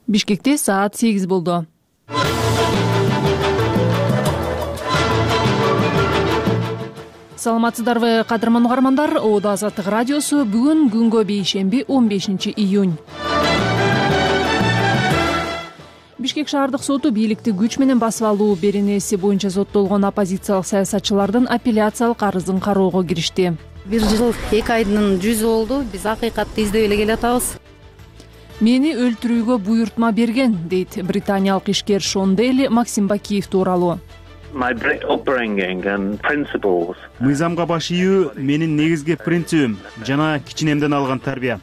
Бишкекте саат 8 болду. Саламатсыздарбы, кадырман угармандар. Оодо Азаттык радиосу бүгүн күнгө бейшемби 15 июнь. Бишкек шаардык соту бийликти күч менен басып алуу беренеси боюнча соттолгон оппозициялык саясатчылардын апелляциялык арызын кароого киришти. 1 жыл 2 айдын жүзү болду. Биз акыйкатты издеп эле келатабыз. Мени өлтүрүүгө буйрутма берген, дейт британиялык ишкер Шон Дейли Максим Бакиев тууралуу. Мыйзамга баш ийүү менин негизги принцибим жана кичинемден алган тарбия.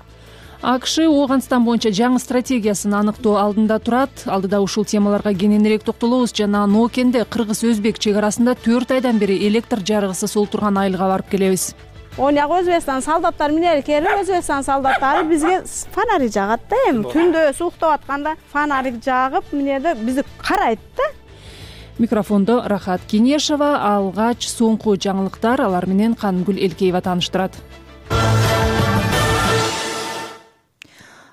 АКШ Ооганстан боюнча жаңы стратегиясын аныктоо алдында турат. Алдыда ушул темаларга кененирээк токтолобуз. Жана Ноокенде кыргыз-өзбек чек арасында 4 айдан бери электр жарыгысыз олтурган айылга барып келебиз. Оняк Өзбекстан солдаттар менен келип, Өзбекстан солдаттары бизге фонарик жагат да, эми түндө суктап атканда фонарик жагып, менде бизди карайт да. Микрофондо Рахат Кенешева, алгач соңку жаңылыктар алар менен Кангүл Элкеева тааныштырат.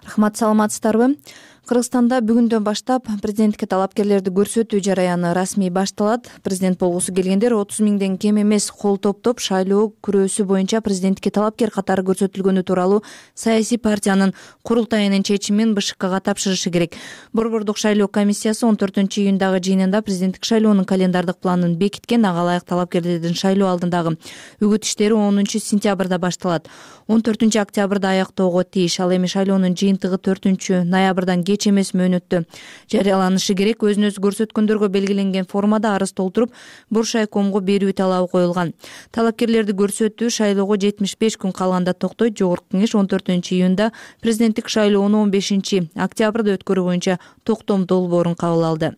Рахмат, саламатсыздарбы? Кыргызстанда бүгүндөн баштап президентке талапкерлерди көрсөтүү жараяны расмий башталат. Президент болгусу келгендер 30 миңден кем эмес кол топтоп шайлоо күрөөсү боюнча президентке талапкер катары көрсөтүлгөнү тууралуу саясий партиянын курултайынын чечимин БШКга тапшырышы керек. Борбордук шайлоо комиссиясы 14-июндагы жыйынында президенттик шайлоонун календардык планын бекиткен. Ага ылайык талапкерлердин шайлоо алдындагы үгүт иштери 10-сентябрда башталат. 14-октябрда аяктоого тийиш. Ал эми шайлоонун жыйынтыгы 4-ноябрдан кеч эмес мөөнөттө жарыяланышы керек. Өзүн-өзү көрсөткөндөргө белгиленген формада арыз толтуруп, Буршайкомго берүү талабы коюлган. Талапкерлерди көрсөтүү шайлоого 75 күн калганда токтойт. Жогорку кеңеш 14-июнда президенттик шайлоону 15-октябрда өткөрүү боюнча токтом долбоорун кабыл алды.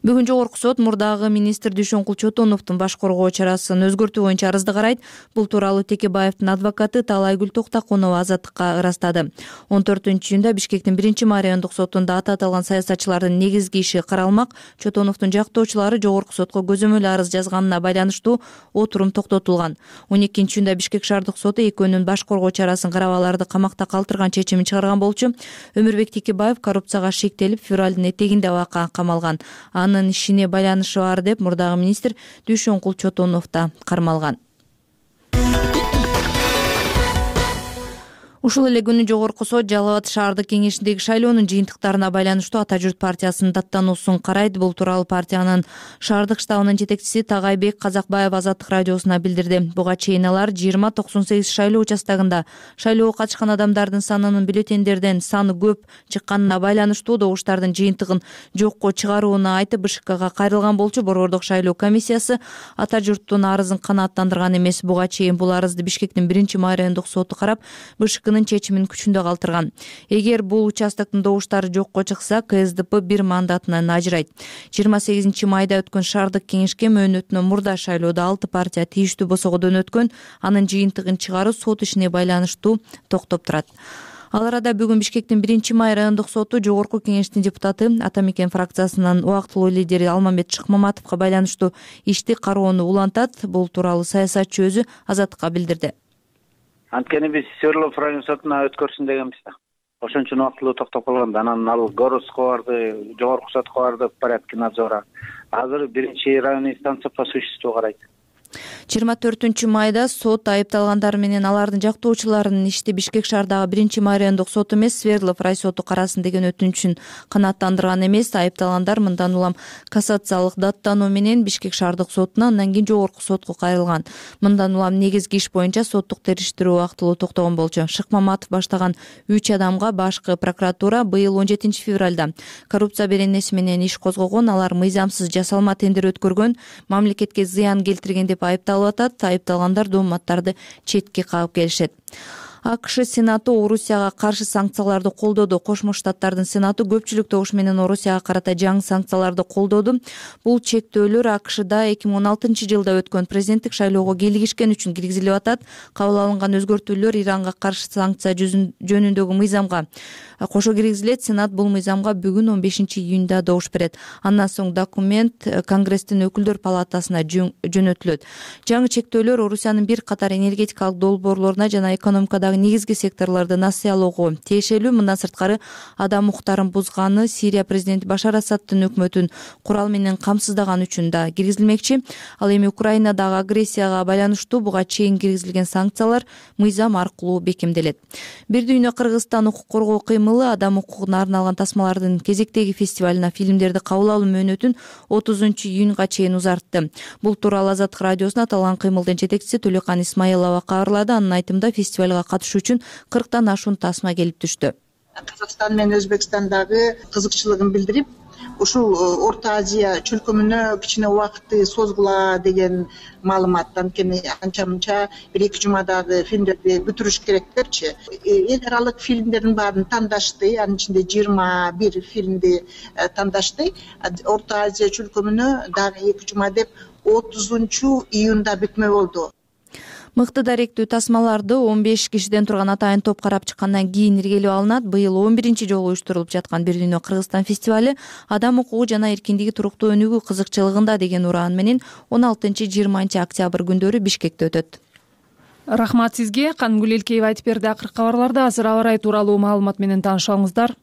Бүгүн жогорку сот мурдагы министр Дүйшөнкул Чотоновдун баш коргоо чарасын өзгөртүү боюнча арызды карайт. Бул тууралуу Текебаевдин адвокаты Талайгүл Токтакунова Азаттыкка ырастады. 14-июнда Бишкектин 1-райондук сотунда аты аталган саясатчылардын негизги иши каралмак. Чотоновдун жактоочулары жогорку сотко көзөмөл арыз жазганына байланыштуу отурум токтотулган. 12-июнда Бишкек шаардык соту экөөнүн баш коргоо чарасын карап аларды камакта калтырган чечимин чыгарган болчу. Өмүрбек Текебаев коррупцияга шектелип, февралдын этегинде абакка камалган. Анын ишине байланышы бар деп мурдагы министр Дүйшөнкул Чотонов да кармалган. Ушул эле күнү жогорку сот Жалал Абад шаардык кеңешиндеги шайлоонун жыйынтыктарына байланыштуу Ата журт партиясынын даттануусун карайт. Бул тууралуу партиянын шаардык штабынын жетекчиси Тагайбек Казакбаев Азаттык радиосуна билдирди. Буга чейин алар 20-98 шайлоо участогунда шайлоого катышкан адамдардын санынын бюллетендерден саны көп чыкканына байланыштуу добуштардын жыйынтыгын жокко чыгарууну айтып БШКга кайрылган болчу. Борбордук шайлоо комиссиясы Ата журттун арызын канааттандырган эмес. Буга чейин бул арызды Бишкектин 1-райондук соту карап, БШКнын чечимин күчүндө калтырган. Эгер бул участоктун добуштары жокко чыкса, КСДП 1 мандатынан ажырайт. 28 майда өткөн шаардык кеңешке мөөнөтүнөн мурда шайлоодо 6 партия тийиштүү босогодон өткөн. Анын жыйынтыгын чыгаруу сот ишине байланыштуу токтоп турат. Ал арада бүгүн Бишкектин 1-райондук соту жогорку кеңештин депутаты Ата Мекен фракциясынын убактылуу лидери Алмамбет Шыкмаматовго байланыштуу ишти кароону улантат. Бул тууралуу саясатчы өзү Азаттыкка билдирди. Анткени биз Свердлов район сотуна өткөрсүн дегенбиз да. Ошон үчүн убактылуу токтоп калган. Анан ал Городско барды, жогорку сотко барды, порядки надзора. Азыр 1-район инстанция по существу карайт. 24 майда сот айыпталгандар менен алардын жактоочуларынын ишти Бишкек шаардагы 1-райондук сот эмес, Свердлов рай соту карасын деген өтүнүчүн канааттандырган эмес. Айыпталгандар мындан улам кассациялык даттануу менен Бишкек шаардык сотуна, андан кийин жогорку сотко кайрылган. Мындан улам негизги иш боюнча соттук териштирүү убактылуу токтогон болчу. Шыкмаматов баштаган 3 адамга башкы прокуратура быйыл 17 февралда коррупция беренеси менен иш козгогон. Алар мыйзамсыз жасалма тендер өткөргөн, мамлекетке зыян келтирген деп айыпталып атат. Айыпталгандар дооматтарды четке кагып келишет. АКШ Сенаты Орусияга каршы санкцияларды колдоду. Кошмо Штаттардын Сенаты көпчүлүк добуш менен Орусияга карата жаңы санкцияларды колдоду. Бул чектөөлөр АКШда 2016 жылда өткөн президенттик шайлоого кийлигишкен үчүн киргизилип атат. Кабыл алынган өзгөртүүлөр Иранга каршы санкция жөнүндөгү мыйзамга кошо киргизилет. Сенат бул мыйзамга бүгүн 15 июнда добуш берет. Андан соң документ Конгресстин өкүлдөр палатасына жөнөтүлөт. Жаңы чектөөлөр Орусиянын бир катар энергетикалык долбоорлоруна жана экономикадагы дагы негизги секторлорду насыялоого тиешелүү. Мындан сырткары адам укуктарын бузганы, Сирия президенти Башар Асаддын өкмөтүн курал менен камсыздаган үчүн да киргизилмекчи. Ал эми Украинадагы агрессияга байланыштуу буга чейин киргизилген санкциялар мыйзам аркылуу бекемделет. Бир дүйнө Кыргызстан укук коргоо кыймылы адам укугуна арналган тасмалардын кезектеги фестивалына фильмдерди кабыл алуу мөөнөтүн 30-июнга чейин узартты. Бул тууралуу Азаттык радиосуна аталган кыймылдын жетекчиси Төлөкан Исмаилова кабарлады. Анын айтымында фестивалга катышуу үчүн 40тан ашуун тасма келип түштү. Кыргызстан менен Өзбекстандагы кызыкчылыгын билдирип, ушул Орто Азия чөлкөмүнө кичине убакытты созгула деген маалымат. Анткени анча-мынча 1-2 жумадагы фильмдерди бүтүрүш керек депчи. Эл аралык фильмдердин баарын тандашты, анын ичинде 21 фильмди тандашты. Орто Азия чөлкөмүнө дагы 2 жума деп 30-июнда бүкмө болду. Мыкты даректүү тасмаларды 15 кишиден турган атайын топ карап чыккандан кийин иргелеп алынат. Быйыл 11-жолу уюштурулуп жаткан Бир дүйнө Кыргызстан фестиваль адам укугу жана эркиндиги туруктуу өнүгүү кызыкчылыгында деген ураан менен 16-20 октябрь күндөрү Бишкекте өтөт. Рахмат сизге. Канымгүл Элкеева айтып берди. Акыркы кабарларда азыр аба ырайы тууралуу маалымат менен таанышыңыздар.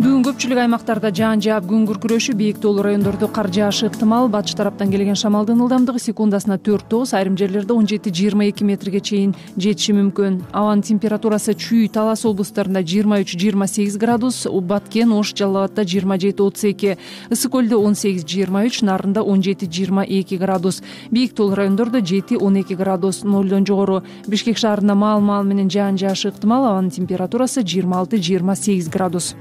Бүгүн көпчүлүк аймактарда жаан жаап күн күркүрөшү, бийик тоолуу райондордо кар жаашы ыктымал. Батыш тараптан келген шамалдын ылдамдыгы секундасына 4-9, айрым жерлерде 17-22 метрге чейин жетиши мүмкүн. Абанын температурасы Чүй, Талас облустарында 23-28 градус, Баткен, Ош, Жалал Абадда 27-32, Ысык көлдө 18-23, Нарында 17-22 градус. Бийик тоолуу райондордо 7-12 градус, нолдон жогору. Бишкек шаарында маал менен жаан жаашы ыктымал. Абанын температурасы 26-28 градус.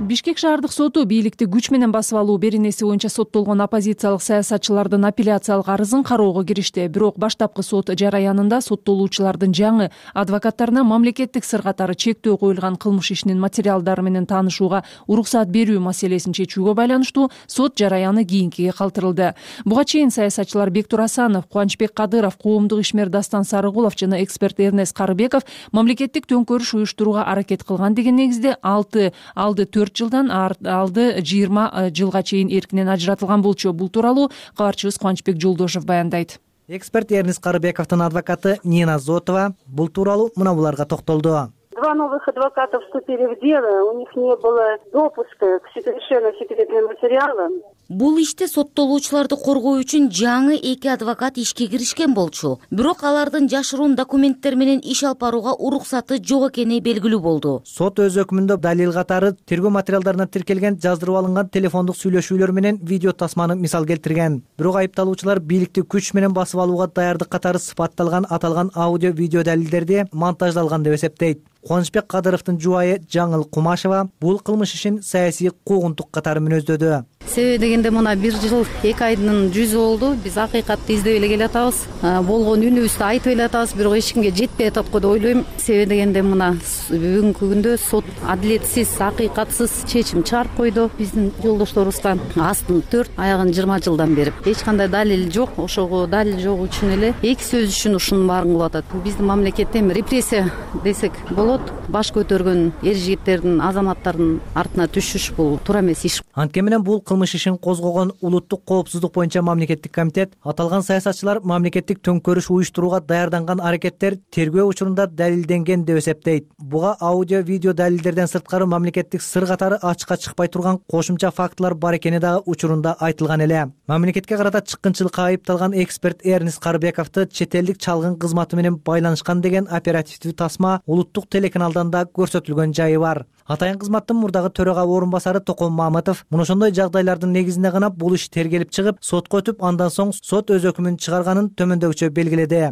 Бишкек шаардык соту бийликти күч менен басып алуу беренеси боюнча соттолгон оппозициялык саясатчылардын апелляциялык арызын кароого киришти. Бирок баштапкы сот жараянында соттолуучулардын жаңы адвокаттарына мамлекеттик сыр катары чектөө коюлган кылмыш ишинин материалдары менен таанышууга уруксат берүү маселесин чечүүгө байланыштуу сот жараяны кийинкиге калтырылды. Буга чейин саясатчылар Бектур Асанов, Кубанычбек Кадыров, коомдук ишмер Дастан Сарыгулов жана эксперт Эрнест Карыбеков мамлекеттик төңкөрүш уюштурууга аракет кылган деген негизде алды 4 жылдан алды 20 жылга чейин эркинен ажыратылган болчу. Бул тууралуу кабарчыбыз Кубанычбек Жолдошев баяндайт. Эксперт Эрнест Карыбековдун адвокаты Нина Зотова бул тууралуу мына буларга токтолду. Два новых адвоката вступили в дело, у них не было допуска к совершенно секретным материалам. Бул иште соттолуучуларды коргоо үчүн жаңы 2 адвокат ишке киришкен болчу. Бирок алардын жашыруун документтер менен иш алып барууга уруксаты жок экени белгилүү болду. Сот өз өкүмүндө далил катары тергөө материалдарына тиркелген жаздырып алынган телефондук сүйлөшүүлөр менен видео тасманы мисал келтирген. Бирок айыпталуучулар бийликти күч менен басып алууга даярдык катары сыпатталган аталган аудио видео далилдерди монтаждалган деп эсептейт. Кубанычбек Кадыровдун жубайы Жаңыл Кумашева бул кылмыш ишин саясий куугунтук катары мүнөздөдү. Себеби дегенде мына 1 жыл 2 айдын жүзү болду. Биз акыйкатты издеп эле келатабыз. Болгон үнүбүздү айтып эле атабыз, бирок эч кимге жетпей атат го деп ойлойм. Себеби дегенде мына бүгүнкү күндө сот адилетсиз, акыйкатсыз чечим чыгарып койду. Биздин жолдошторубузга астын 4, аягын 20 жылдан берип, эч кандай далил жок. Ошого далил жок үчүн эле 2 сөз үчүн ушунун баарын кылып атат. Биздин мамлекетте репрессия десек болот. Баш көтөргөн эр жигиттердин, азаматтардын артына түшүш бул туура эмес иш. Антке менен бул кылмыш ишин козгогон улуттук коопсуздук боюнча мамлекеттик комитет аталган саясатчылар мамлекеттик төңкөрүш уюштурууга даярданган аракеттер тергөө учурунда далилденген деп эсептейт. Буга аудио видео далилдерден сырткары мамлекеттик сыр катары ачыкка чыкпай турган кошумча фактылар бар экени дагы учурунда айтылган эле. Мамлекетке карата чыккынчылыкка айыпталган эксперт Эрнест Карыбековду чет элдик чалгын кызматы менен байланышкан деген оперативдүү тасма улуттук телеканалдан да көрсөтүлгөн жайы бар. Атайын кызматтын мурдагы төрага орун басары Токон Мамытов мына ошондой жагдайлардын негизинде гана бул иш тергелип чыгып, сотко өтүп, андан соң сот өз өкүмүн чыгарганын төмөндөгүчө белгиледи.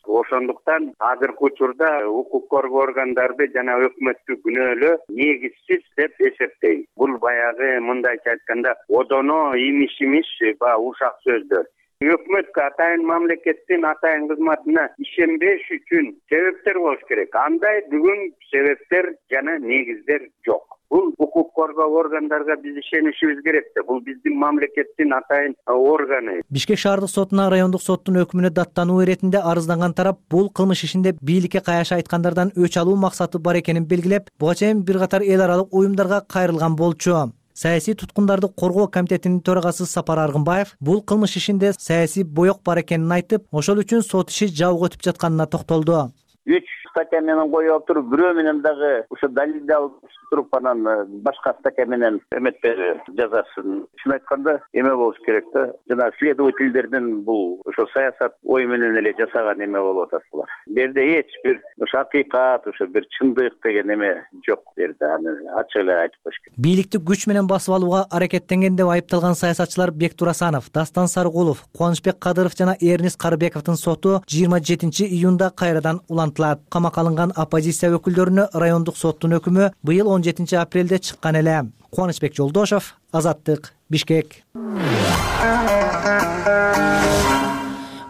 Ошондуктан азыркы учурда укук коргоо органдарды жана өкмөттү күнөөлөө негизсиз деп эсептейм. Бул баягы мындайча айтканда одоно имиш ушак сөздөр. Өкмөткө атайын мамлекеттин атайын кызматына ишенбеш үчүн себептер болуш керек. Андай бүгүн себептер жана негиздер жок. Бул укук коргоо органдарга биз ишенишибиз керек да. Бул биздин мамлекеттин атайын органы. Бишкек шаардык сотуна райондук соттун өкүмүнө даттануу иретинде арызданган тарап бул кылмыш ишинде бийликке каяша айткандардан өч алуу максаты бар экенин белгилеп, буга чейин бир катар эл аралык уюмдарга кайрылган болчу. Саясий туткундарды коргоо комитетинин төрагасы Сапар Аргынбаев бул кылмыш ишинде саясий боек бар экенин айтып, ошол үчүн сот иши жабык өтүп жатканына токтолду. 3 статья менен коюп алып туруп, бирөө менен дагы ошо далилди алып туруп анан башка статья менен эметпеди жазасын. Чын айтканда эме болуш керек да. Жана следовательдердин бул ошо саясат ой менен эле жасаган эме болуп атат булар. Бу жерде эч бир ошо акыйкат, ошо бир чындык деген эме жок бу жерде. Аны ачык эле айтып коюш керек. Бийликти күч менен басып алууга аракеттенген деп айыпталган саясатчылар Бектур Асанов, Дастан Сарыгулов, Кубанычбек Кадыров жана Эрнис Карыбековдун соту 27-июнда кайрадан улантылат. Камакка алынган оппозиция өкүлдөрүнө райондук соттун өкүмү быйыл 17-апрелде чыккан эле. Кубанычбек Жолдошов, Азаттык, Бишкек.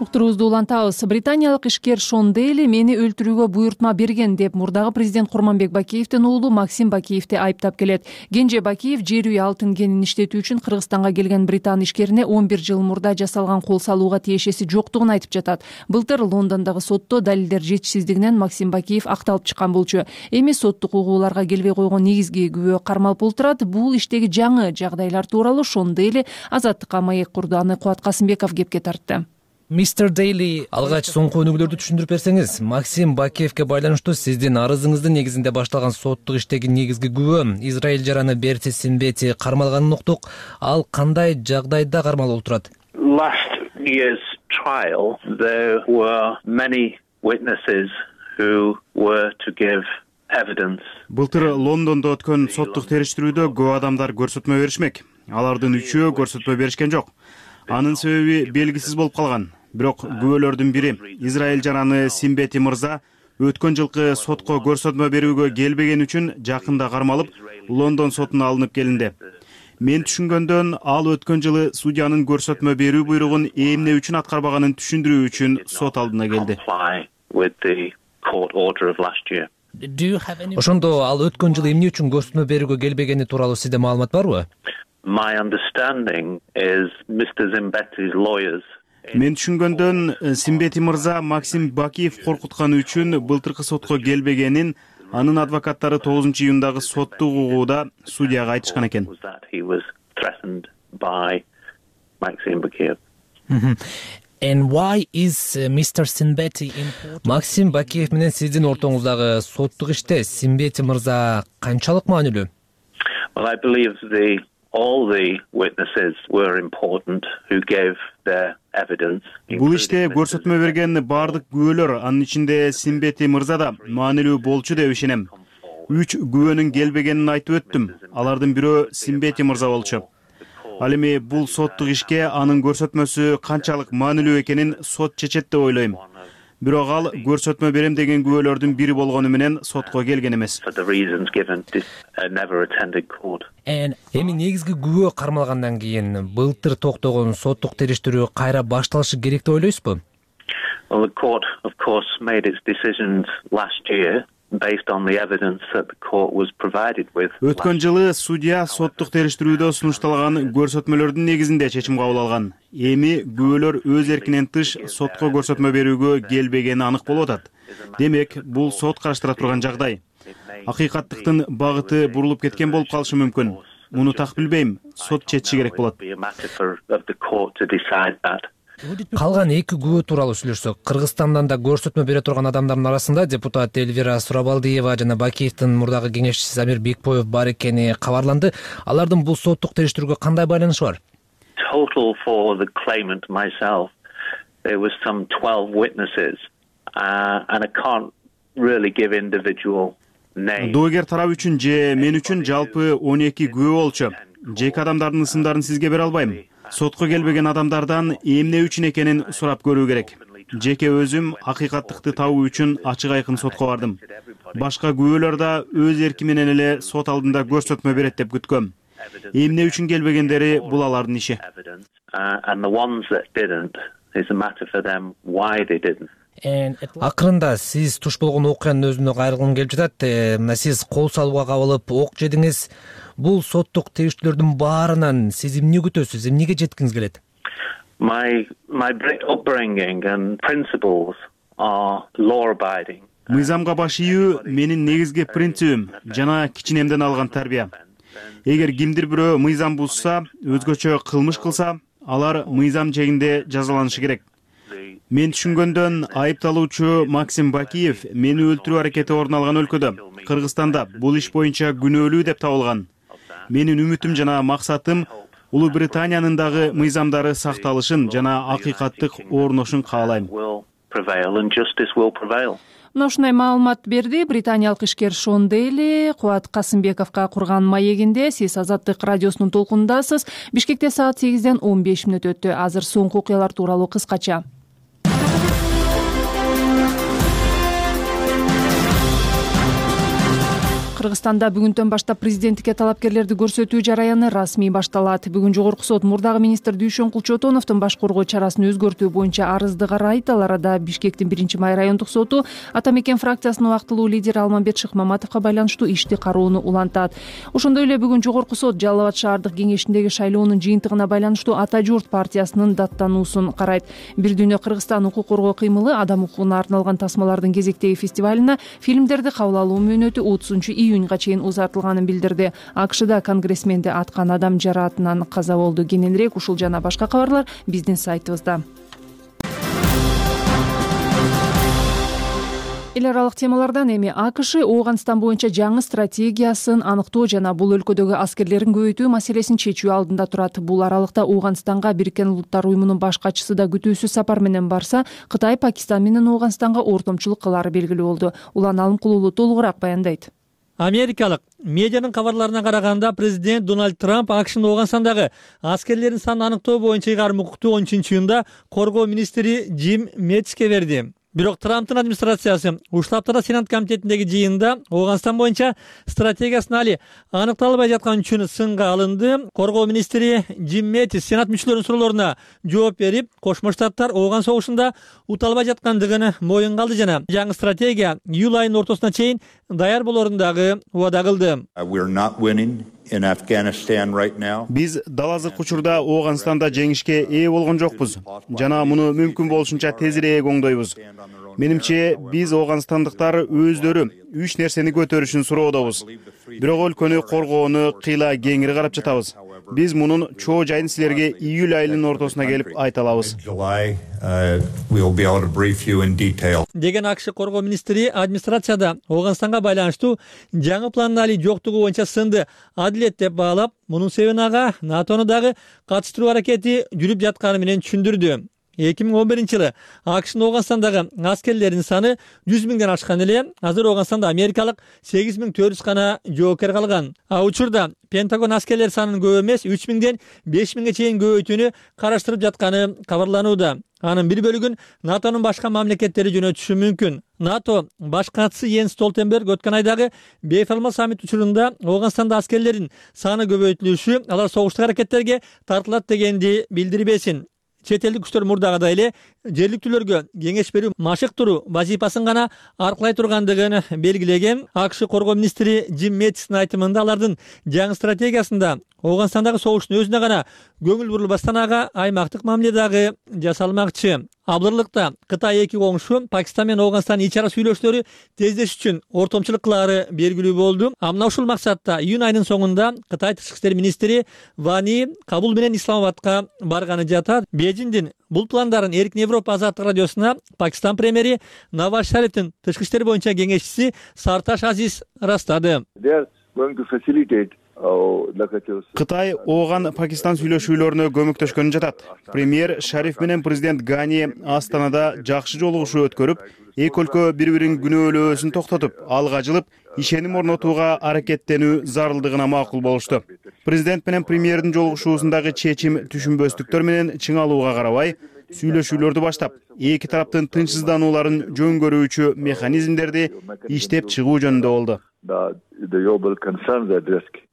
Уктуруубузду улантабыз. Британиялык ишкер Шон Дейли мени өлтүрүүгө буйртма берген деп мурдагы президент Курманбек Бакиевдин уулу Максим Бакиевди айыптап келет. Кенже Бакиев жер үй алтын кенин иштетүү үчүн Кыргызстанга келген британ ишкерине 11 жыл мурда жасалган кол салууга тиешеси жоктугун айтып жатат. Былтыр Лондондогу сотто далилдер жетишсиздигинен Максим Бакиев акталып чыккан болчу. Эми соттук угууларга келбей койгон негизги күбө кармалып отурат. Бул иштеги жаңы жагдайлар тууралуу Шон Дейли Азаттыкка маек курду. Аны Кубат Касымбеков кепке тартты. Мистер Дейли, алгач соңку өнүгүүлөрдү түшүндүрүп берсеңиз. Максим Бакиевге байланыштуу сиздин арызыңыздын негизинде башталган соттук иштеги негизги күбө Израиль жараны Берти Синбети кармалганын уктук. Ал кандай жагдайда кармалып турат? Last year's trial, there were many witnesses who were to give evidence. Былтыр Лондондо өткөн соттук териштирүүдө көп адамдар көрсөтмө беришмек. Алардын 3-өө көрсөтмө беришкен жок. Анын себеби белгисиз болуп калган. Бирок күбөлөрдүн бири Израиль жараны Синбети мырза өткөн жылкы сотко көрсөтмө берүүгө келбеген үчүн жакында кармалып Лондон сотуна алынып келинди. Мен түшүнгөндөн ал өткөн жылы судьянын көрсөтмө берүү буйругун эмне үчүн аткарбаганын түшүндүрүү үчүн сот алдына келди. Ошондо ал өткөн жылы эмне үчүн көрсөтмө берүүгө келбегени тууралуу сизде маалымат барбы? My understanding is Mr. Zimbeti's lawyers. Мен түшүнгөндөн Синбети мырза Максим Бакиев коркутканы үчүн былтыркы сотко келбегенин анын адвокаттары 9-июндагы соттук угууда судьяга айтышкан экен. And why is Mr. Sinbeti important? Максим Бакиев менен сиздин ортоңуздагы соттук иште Синбети мырза канчалык маанилүү? Well, I believe all the witnesses were important who gave their evidence. Бул иште көрсөтмө берген бардык күбөлөр, анын ичинде Синбети мырза да маанилүү болчу деп ишенем. 3 күбөнүн келбегенин айтып өттүм. Алардын бирөө Синбети мырза болчу. Ал эми бул соттук ишке анын көрсөтмөсү канчалык маанилүү экенин сот чечет деп ойлойм. Бирок ал көрсөтмө берем деген күбөлөрдүн бири болгону менен сотко келген эмес. Эми негизги күбө кармалгандан кийин былтыр токтогон соттук териштирүү кайра башталышы керек деп ойлойсузбу? Well, the court of course made its decisions last year based on the evidence that the court was provided with. Өткөн жылы судья соттук териштирүүдө сунушталган көрсөтмөлөрдүн негизинде чечим кабыл алган. Эми күбөлөр өз эркинен тыш сотко көрсөтмө берүүгө келбегени анык болуп атат. Демек, бул сот караштыра турган жагдай. Акыйкаттыктын багыты бурулуп кеткен болуп калышы мүмкүн. Муну так билбейм. Сот чечиши керек болот. Калган 2 күбө тууралуу сүйлөшсөк, Кыргызстандан да көрсөтмө бере турган адамдардын арасында депутат Элвира Сурабалдиева жана Бакиевдин мурдагы кеңешчиси Замир Бекбоев бар экени кабарланды. Алардын бул соттук териштирүүгө кандай байланышы бар? Total for the claimant myself, there was some 12 witnesses, and I can't really give individual names. Доогер тарап үчүн же мен үчүн жалпы 12 күбө болчу. Жеке адамдардын ысымдарын сизге бере албайм. Сотко келбеген адамдардан эмне үчүн экенин сурап көрүү керек. Жеке өзүм акыйкаттыкты табуу үчүн ачык айкын сотко бардым. Башка күбөлөр да өз эрки менен эле сот алдында көрсөтмө берет деп күткөм. Эмне үчүн келбегендери бул алардын иши. Акырында сиз туш болгон окуянын өзүнө кайрылгым келип жатат. Мына сиз кол салууга кабылып ок жедиңиз. Бул соттук тегиштүүлөрдүн баарынан сиз эмне күтөсүз, эмнеге жеткиңиз келет? My upbringing and principles are law-abiding. Мыйзамга баш ийүү менин негизги принцибим жана кичинемден алган тарбия. Эгер кимдир бирөө мыйзам бузса, өзгөчө кылмыш кылса, алар мыйзам жегинде жазаланышы керек. Мен түшүнгөндөн айыпталуучу Максим Бакиев мени өлтүрүү аракети орун алган өлкөдө, Кыргызстанда бул иш боюнча күнөөлүү деп табылган. Менин үмүтүм жана максатым Улуу Британиянын дагы мыйзамдары сакталышын жана акыйкаттык орношун каалайм. Мына ушундай маалымат берди британиялык ишкер Шон Дейли Кубат Касымбековго курган маегинде. Сиз Азаттык радиосунун толкунундасыз. Бишкекте саат 8-ден 15 мүнөт өттү. Азыр соңку окуялар тууралуу кыскача. Кыргызстанда бүгүндөн баштап президенттикке талапкерлерди көрсөтүү жараяны расмий башталат. Бүгүн жогорку сот мурдагы министр Дүйшөн Кулчотоновдун баш коргоо чарасын өзгөртүү боюнча арызды карайт. Ал арада Бишкектин 1-май райондук соту Ата Мекен фракциясынын убактылуу лидери Алмамбет Шыкмаматовго байланыштуу ишти кароону улантат. Ошондой эле бүгүн жогорку сот Жалал Абад шаардык кеңешиндеги шайлоонун жыйынтыгына байланыштуу Ата журт партиясынын даттануусун карайт. Бир дүйнө Кыргызстан укук коргоо кыймылы адам укугуна арналган тасмалардын кезектеги фестивалына фильмдерди кабыл алуу мөөнөтү 30-июнга чейин узартылганын билдирди. АКШда конгрессменди аткан адам жараатынан каза болду. Кененирээк ушул жана башка кабарлар биздин сайтыбызда. Эл аралык темалардан эми АКШ Ооганстан боюнча жаңы стратегиясын аныктоо жана бул өлкөдөгү аскерлерин көбөйтүү маселесин чечүү алдында турат. Бул аралыкта Ооганстанга Бириккен Улуттар уюмунун баш катчысы да күтүүсүз сапар менен барса, Кытай Пакистан менен Ооганстанга ортомчулук кылары белгилүү болду. Улан Алымкулуулу толугураак баяндайт. Америкалык медианын кабарларына караганда президент Дональд Трамп АКШнын Ооганстандагы аскерлердин санын аныктоо боюнча ыйгарым укукту 10-июнда коргоо министри Джим Мэттиске берди. Бирок Трамптын администрациясы ушул аптада Сенат комитетиндеги жыйында Ооганстан боюнча стратегиясын али аныкталбай жаткан үчүн сынга алынды. Коргоо министри Джим Мэттис Сенат мүчөлөрүнүн суроолоруна жооп берип, Кошмо Штаттар Ооган согушунда уталбай жаткандыгын моюнга алды жана жаңы стратегия июль айынын ортосуна чейин даяр болорун дагы убада кылды. Биз дал азыркы учурда Ооганстанда жеңишке ээ болгон жокпуз жана муну мүмкүн болушунча тезирээк оңдойбуз. Менимче биз ооганстандыктар өздөрү үч нерсени көтөрүшүн суроодобуз. Бирок өлкөнү коргоону кыйла кеңири карап жатабыз. Биз мунун чоо жайын силерге июль айынын ортосуна келип айта алабыз. Деген АКШ коргоо министри администрацияда Ооганстанга байланыштуу жаңы пландын али жоктугу боюнча сынды адилет деп баалап, мунун себебин ага НАТОну дагы катыштыруу аракети жүрүп жатканы менен түшүндүрдү. 2011-жылы АКШнын Ооганстандагы аскерлеринин саны 100 миңден ашкан эле, азыр Ооганстанда америкалык 8400 гана жоокер калган. Учурда Пентагон аскерлер санын көп эмес 3 миңден 5 миңге чейин көбөйтүүнү караштырып жатканы кабарланууда. Анын бир бөлүгүн НАТОнун башка мамлекеттери жөнөтүшү мүмкүн. НАТО баш катчысы Йенс Столтенберг өткөн айдагы бейформал саммит учурунда Ооганстанда аскерлердин саны көбөйтүлүшү алар согуштук аракеттерге тартылат дегенди билдирбесин. Чет элдик күчтөр мурдагыдай эле жергиликтүүлөргө кеңеш берүү, машык туруу вазифасын гана аркылай тургандыгын белгилеген. АКШ коргоо министри Джим Мэттистин айтымында алардын жаңы стратегиясында Ооганстандагы согуштун өзүнө гана көңүл бурулбастан ага аймактык мамиле дагы жасалмакчы. Абдырлыкта Кытай эки коңшу Пакистан менен Ооганстандын ич ара сүйлөшүүлөрү тездеш үчүн ортомчулук кылары белгилүү болду. Мына ушул максатта июнь айынын соңунда Кытай тышкы иштер министри Вани Кабул менен Исламабадка барганы жатат. Бейжиңдин бул пландарын Эркин Европа Азаттык радиосуна Пакистан премьери Наваз Шарифтин тышкы иштер боюнча кеңешчиси Сарташ Азиз ырастады. Кытай Ооган Пакистан сүйлөшүүлөрүнө көмөктөшкөнү жатат. Премьер Шариф менен президент Гани Астанада жакшы жолугушуу өткөрүп, эки өлкө бири-бирин күнөөлөөсүн токтотуп, алга жылып, ишеним орнотууга аракеттенүү зарылдыгына макул болушту. Президент менен премьердин жолугушуусундагы чечим түшүнбөстүктөр менен чыңалууга карабай, сүйлөшүүлөрдү баштап, эки тараптын тынчсызданууларын жөн көрүүчү механизмдерди иштеп чыгуу жөнүндө болду.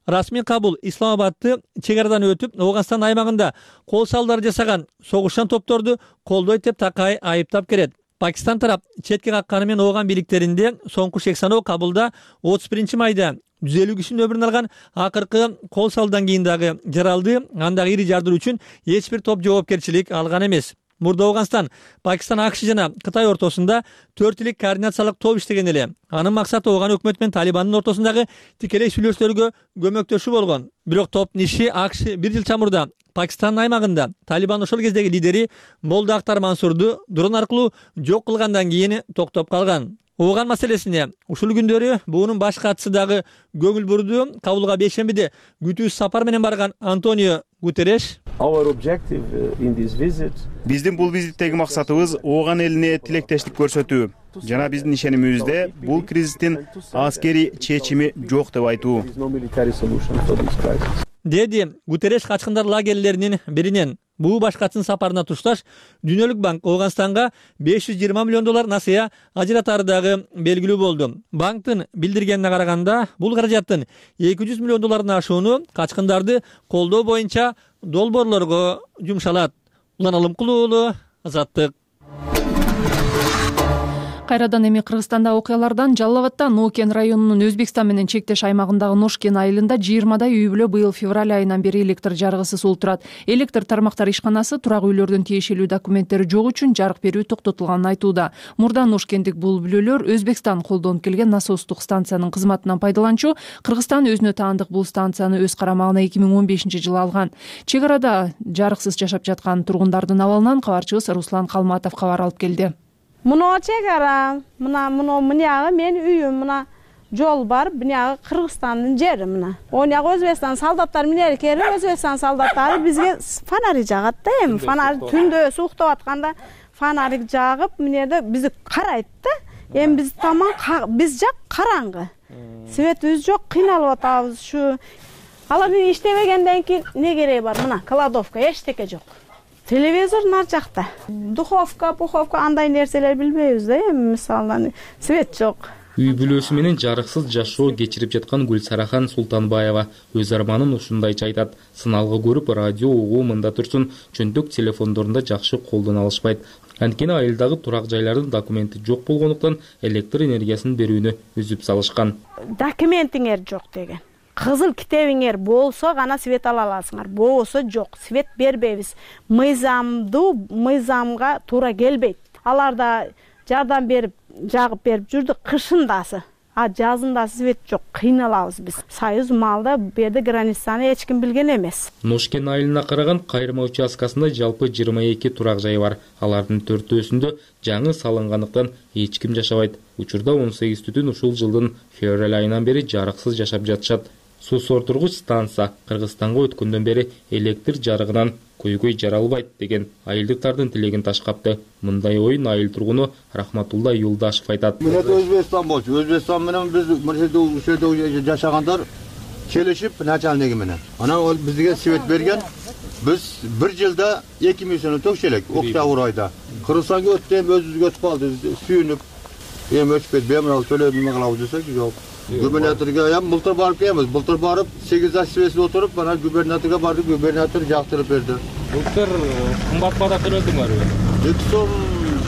Расмий Кабул Исламабадты чек арадан өтүп, Ооганстан аймагында кол салдары жасаган согушчан топторду колдойт деп такай айыптап келет. Пакистан тарап четке какканы менен ооган бийликтеринде соңку шек саноо Кабулда 31 майда 150 кишинин өмүрүн алган акыркы кол салуудан кийин дагы жаралды. Андагы ири жардыруу үчүн эч бир топ жоопкерчилик алган эмес. Мурда Афганистан, Пакистан, АКШ жана Кытай ортосунда 4 илик координациялык топ иштеген эле. Анын максаты Афган өкмөтү менен Талибандын ортосундагы тикелей сүйлөшүүлөргө көмөктөшүү болгон. Бирок топтун иши АКШ 1 жыл чамурда Пакистандын аймагында Талибан ошол кездеги лидери Молда Ахтар Мансурду дрон аркылуу жок кылгандан кийин токтоп калган. Афган маселесине ушул күндөрү буунун баш катчысы дагы көңүл бурду. Кабулга бейшембиде күтүүсүз сапар менен барган Антонио Гутереш биздин бул визиттеги максатыбыз Ооган элине тилектештик көрсөтүү жана биздин ишенимибизде бул кризистин аскерий чечими жок деп айтуу, деди Гутереш качкындар лагерлеринин биринен. Бул баш катчынын сапарына тушташ Дүйнөлүк банк Афганстанга $520 миллион насыя ажыратары дагы белгилүү болду. Банктын билдиргенине караганда, бул каражаттын $200 миллион ашууну качкындарды колдоо боюнча долбоорлорго жумшалат. Улан Алымкулуу уулу, Азаттык. Кайрадан эми Кыргызстанда окуялардан Жалал Абадда Нокен районунун Өзбекстан менен чектеш аймагындагы Ношкен айылында 20дай үй бүлө быйыл февраль айынан бери электр жарыгысыз олтурат. Электр тармактар ишканасы турак үйлөрдүн тиешелүү документтери жок үчүн жарык берүү токтотулганын айтууда. Мурда Ношкендик бул бүлөлөр Өзбекстан колдонуп келген насостук станциянын кызматынан пайдаланчу. Кыргызстан өзүнө таандык бул станцияны өз карамагына 2015-жылы алган. Чек арада жарыксыз жашап жаткан тургундардын абалынан кабарчыбыз Руслан Калматов кабар алып келди. Мына чек ара, мына мен үйүм, мына жол бар, мына Кыргызстандын жери мына. Оняк Өзбекстан солдаттар менен келип, Өзбекстан солдаттары бизге фонарь жагат да, эми фонарь түндө уктап атканда фонарь жагып, менде бизди карайт да. Эми биз таман биз жак караңгы. Светибиз жок, кыйналып атабыз. Ушу алар иштебегенден кийин не кереги бар? Мына кладовка эчтеке жок. Телевизор нар жакта. Духовка, пуховка андай нерселер билбейбиз да, эми мисалы свет жок. Үй бүлөсү менен жарыксыз жашоо кечирип жаткан Гүлсарахан Султанбаева өз арманын ушундайча айтат. Сыналгы көрүп, радио угуу мында турсун, чөнтөк телефондорунда жакшы колдоно алышпайт. Анткени айылдагы турак жайлардын документи жок болгондуктан электр энергиясын берүүнү үзүп салышкан. Документиңер жок деген. Кызыл китебиңер болсо гана свет ала аласыңар. Болбосо жок, свет бербейбиз. Мыйзамга туура келбейт. Аларда жардам берип, жагып берип жүрдү кышындасы. Жазында свет жок, кыйналабыз биз. Союз малда берди границаны эч ким билген эмес. Ношкен айылына караган кайрма участкасында жалпы 22 турак жай бар. Алардын 4-өсүндө жаңы салынгандыктан эч ким жашабайт. Учурда 18 түтүн ушул жылдын февраль айынан бери жарыксыз жашап жатышат. Суу сордургуч станция Кыргызстанга өткөндөн бери электр жарыгынан көйгөй жаралбайт деген айылдыктардын тилегин ташкапты. Мындай оюн айыл тургуну Рахматулла Юлдашев айтат. Мен Өзбекстан болчу. Өзбекстан менен биз ушерде жашагандар келишип начальниги менен. Анан ол бизге свет берген. Биз бир жылда 2 миллион төкчелек октябрь айда. Кыргызстанга өттү, өзүбүзгө өтүп калды. Сүйүнүп, эми өчпөйт, бемурал төлөдүм кылабыз десек жок. Губернаторга былтыр барып келебиз. Былтыр барып 8 ай свесиде отуруп, анан губернаторга бардык, губернатор жактырып берди. Былтыр кымбат бара төлөдүңөрбү?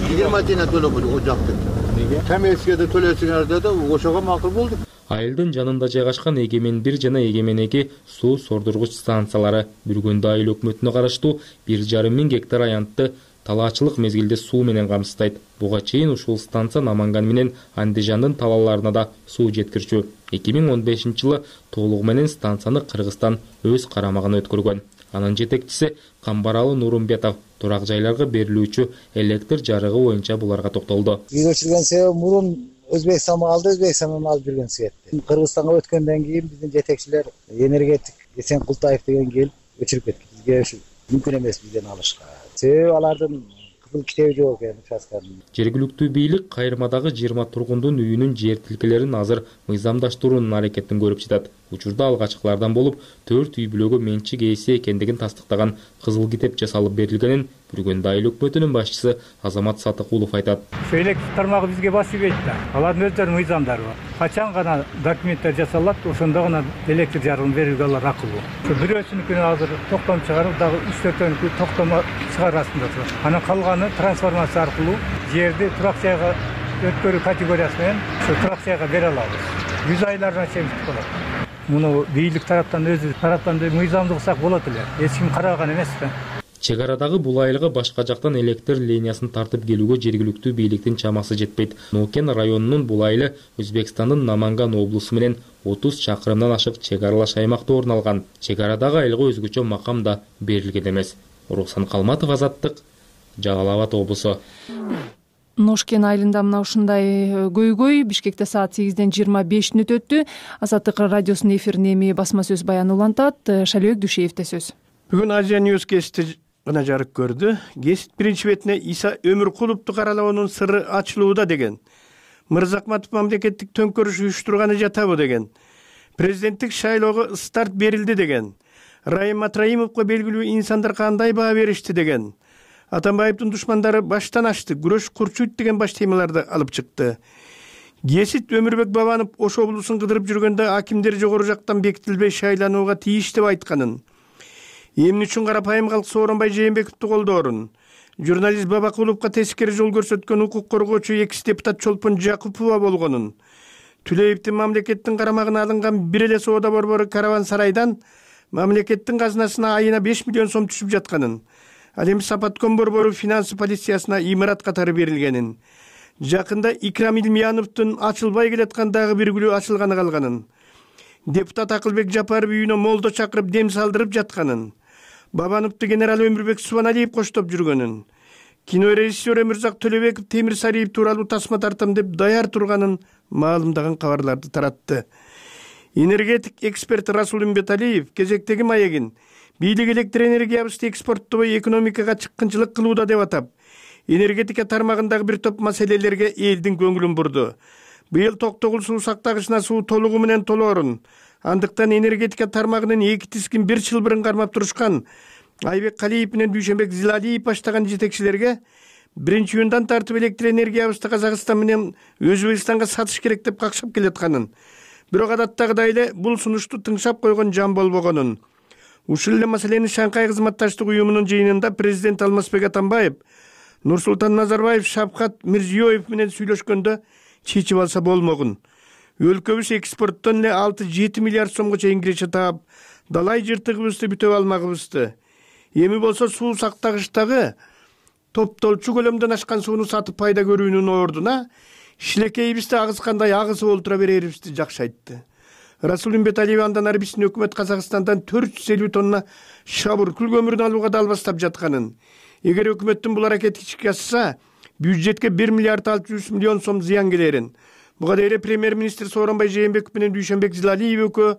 20 тиен төлөп о жакты. Неге? Комиссияда төлөсүңөр деди, ошого макул болдук. Айылдын жанында жайгашкан Эгемен 1 жана Эгемен 2 суу сордургуч станциялары Бүргөндө айыл өкмөтүнө караштуу 1,5 миң гектар аянтты талаачылык мезгилде суу менен камсыздайт. Буга чейин ушул станция Наманган менен Андижандын талааларына да суу жеткирчү. 2015-жылы толугу менен станцияны Кыргызстан өз карамагына өткөргөн. Анын жетекчиси Камбаралы Нурумбетов турак жайларга берилүүчү электр жарыгы боюнча буларга токтолду. Өчүргөн себеби мурун Өзбекстанга алды, Өзбекстандан алып жүргөн светти. Кыргызстанга өткөндөн кийин биздин жетекчилер энергетик Эсен Култаев деген келип өчүрүп кетти. Бизге мүмкүн эмес бизден алышка. Себеби алардын кызыл китеби жок экен участканын. Жергиликтүү бийлик кайрмадагы 20 тургундун үйүнүн жер тилкелерин азыр мыйзамдаштыруунун аракетин көрүп жатат. Учурда алгачкылардан болуп 4 үй бүлөгө менчик ээси экендигин тастыктаган кызыл китеп жасалып берилгенин Бүргөндө айыл өкмөтүнүн башчысы Азамат Сатыкулов айтат. Электр тармагы бизге басыбейт да. Алардын өздөрүнүн мыйзамдары бар. Качан гана документтер жасалат, ошондо гана электр жарыгын берүүгө алар акылуу. Бирөөсүнүкүнө азыр токтом чыгарып, дагы 3-4 токтомо чыгарасында турат. Анан калганы трансформация аркылуу жерди туракцияга өткөрүү категориясы менен ошо туракцияга бере алабыз. 100 айлардан чегиштик болот. Муну бийлик тараптан өзү тараптан мыйзамды кылсак болот эле. Эч ким караган эмес да. Чек арадагы бул айлыгы башка жактан электр линиясын тартып келүүгө жергиликтүү бийликтин чамасы жетпейт. Нокен районунун бул айылы Өзбекстандын Наманган облусу менен 30 чакырымдан ашык чек аралаш аймакта орун алган. Чек арадагы айылга өзгөчө макам да берилген эмес. Рухсан Калматов, Азаттык, Жалал Абад облусу. Ношкен айылында мына ушундай көйгөй. Бишкекте саат 8-ден 25 мүнөт өттү. Азаттык радиосунун эфирине эми басма сөз баяны улантат. Шалбек Дүйшеевде сөз. Бүгүн Азия Ньюс кести гана жарык көрдү. Гезит биринчи бетине Иса Өмүркуловду каралоонун сыры ачылууда деген. Мырзакматов мамлекеттик төңкөрүш уюштурганы жатабы деген. Президенттик шайлоого старт берилди деген. Райым Матраимовго белгилүү инсандар кандай баа беришти деген. Атамбаевдин душмандары баштан ашты, күрөш курчуйт деген баш темаларды алып чыкты. Гесит Өмүрбек Бабанов Ош облусун кыдырып жүргөндө акимдер жогору жактан бекитилбей шайланууга тийиш деп айтканын. Эмне үчүн карапайым калк Сооронбай Жээнбековду колдоорун. Журналист Бабакуловго тескери жол көрсөткөн укук коргоочу экс депутат Чолпон Жакупова болгонун. Түлеевдин мамлекеттин карамагына алынган бир эле соода борбору Караван сарайдан мамлекеттин казынасына айына 5 миллион сом түшүп жатканын. Ал эми Сапаткон борбору финансы полициясына имарат катары берилгенин. Жакында Икрам Илмияновдун ачылбай келаткан дагы бир күлү ачылганы калганын. Депутат Акылбек Жапаров үйүнө молдо чакырып дем салдырып жатканын. Бабановду генерал Өмүрбек Субаналиев коштоп жүргөнүн. Кинорежиссер Өмүрзак Төлөбеков Темир Сариев тууралуу тасма тартам деп даяр турганын маалымдаган кабарларды таратты. Энергетик эксперт Расул Үмбеталиев кезектеги маегин бийлик электр энергиябызды экспорттобой экономикага чыккынчылык кылууда деп атап, энергетика тармагындагы бир топ маселелерге элдин көңүлүн бурду. Быйыл Токтогул суу сактагычына суу толугу менен толоорун. Андыктан энергетика тармагынын эки тискин бир чылбырын кармап турушкан Айбек Калиев менен Дүйшөнбек Зилалиев баштаган жетекчилерге 1-июндан тартып электр энергиябызды Казакстан менен Өзбекстанга сатыш керек деп какшап келатканын. Бирок адаттагыдай эле бул сунушту тыңшап койгон жан болбогонун. Ушул эле маселени Шанхай кызматташтык уюмунун жыйынында президент Алмазбек Атамбаев, Нурсултан Назарбаев, Шавкат Мирзиёев менен сүйлөшкөндө чечип алса болмогун. Өлкөбүз экспорттон эле 6-7 миллиард сомго чейин киреше таап, далай жыртыгыбызды бүтөп алмагыбызды. Эми болсо суу сактагычтагы топтолчу көлөмдөн ашкан сууну сатып пайда көрүүнүн ордуна шилекейибизди агызгандай агызып олтура берерибизди жакшы айтты. Расул Үмбеталиев андан ары биздин өкмөт Казакстандан 450 тонна шабыр күл көмүрүн алууга далбастап жатканын. Эгер өкмөттүн бул аракети ишке ашса, бюджетке 1 миллиард 600 миллион сом зыян келерин. Буга дейин премьер-министр Сооронбай Жээнбеков менен Дүйшөнбек Зилалиев экөө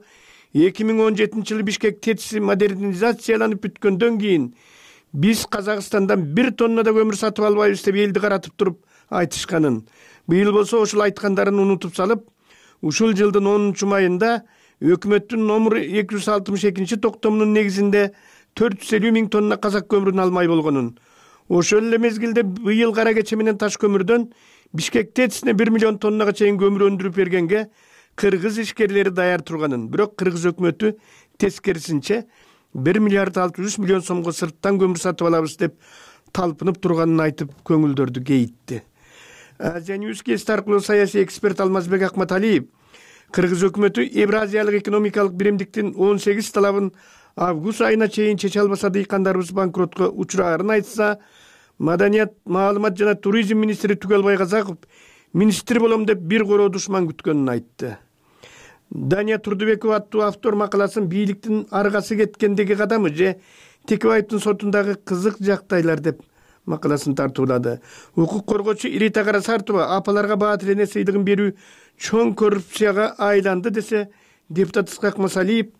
2017-жылы Бишкек ТЭЦи модернизацияланып бүткөндөн кийин биз Казакстандан 1 тонна да көмүр сатып албайбыз деп элди каратып туруп айтышканын. Быйыл болсо ошол айткандарын унутуп салып, ушул жылдын 10-майында өкмөттүн номер 262 токтомунун негизинде 450 миң тонна казак көмүрүн алмай болгонун. Ошол эле мезгилде быйыл кара кече менен таш көмүрдөн Бишкек ТЭЦине 1 миллион тоннага чейин көмүр өндүрүп бергенге кыргыз ишкерлери даяр турганын. Бирок кыргыз өкмөтү тескерисинче 1 миллиард 600 миллион сомго сырттан көмүр сатып алабыз деп талпынып турганын айтып көңүлдөрдү кейитти. Азия Ньюс кести аркылуу саясий эксперт Алмазбек Акматалиев кыргыз өкмөтү Евразиялык экономикалык биримдиктин 18 талабын август айына чейин чече албаса дыйкандарыбыз банкротко учурарын айтса, Маданият, маалымат жана туризм министри Түгелбай Казаков министр болом деп бир короо душман күткөнүн айтты. Дания Турдубекова аттуу автор макаласын бийликтин аргасы кеткендеги кадамы же Текебаевдин сотундагы кызык жактайлар деп макаласын тартуулады. Укук коргоочу Ирита Карасартова апаларга Баатыр эне сыйлыгын берүү чоң коррупцияга айланды десе, депутат Ысқақ Масалиев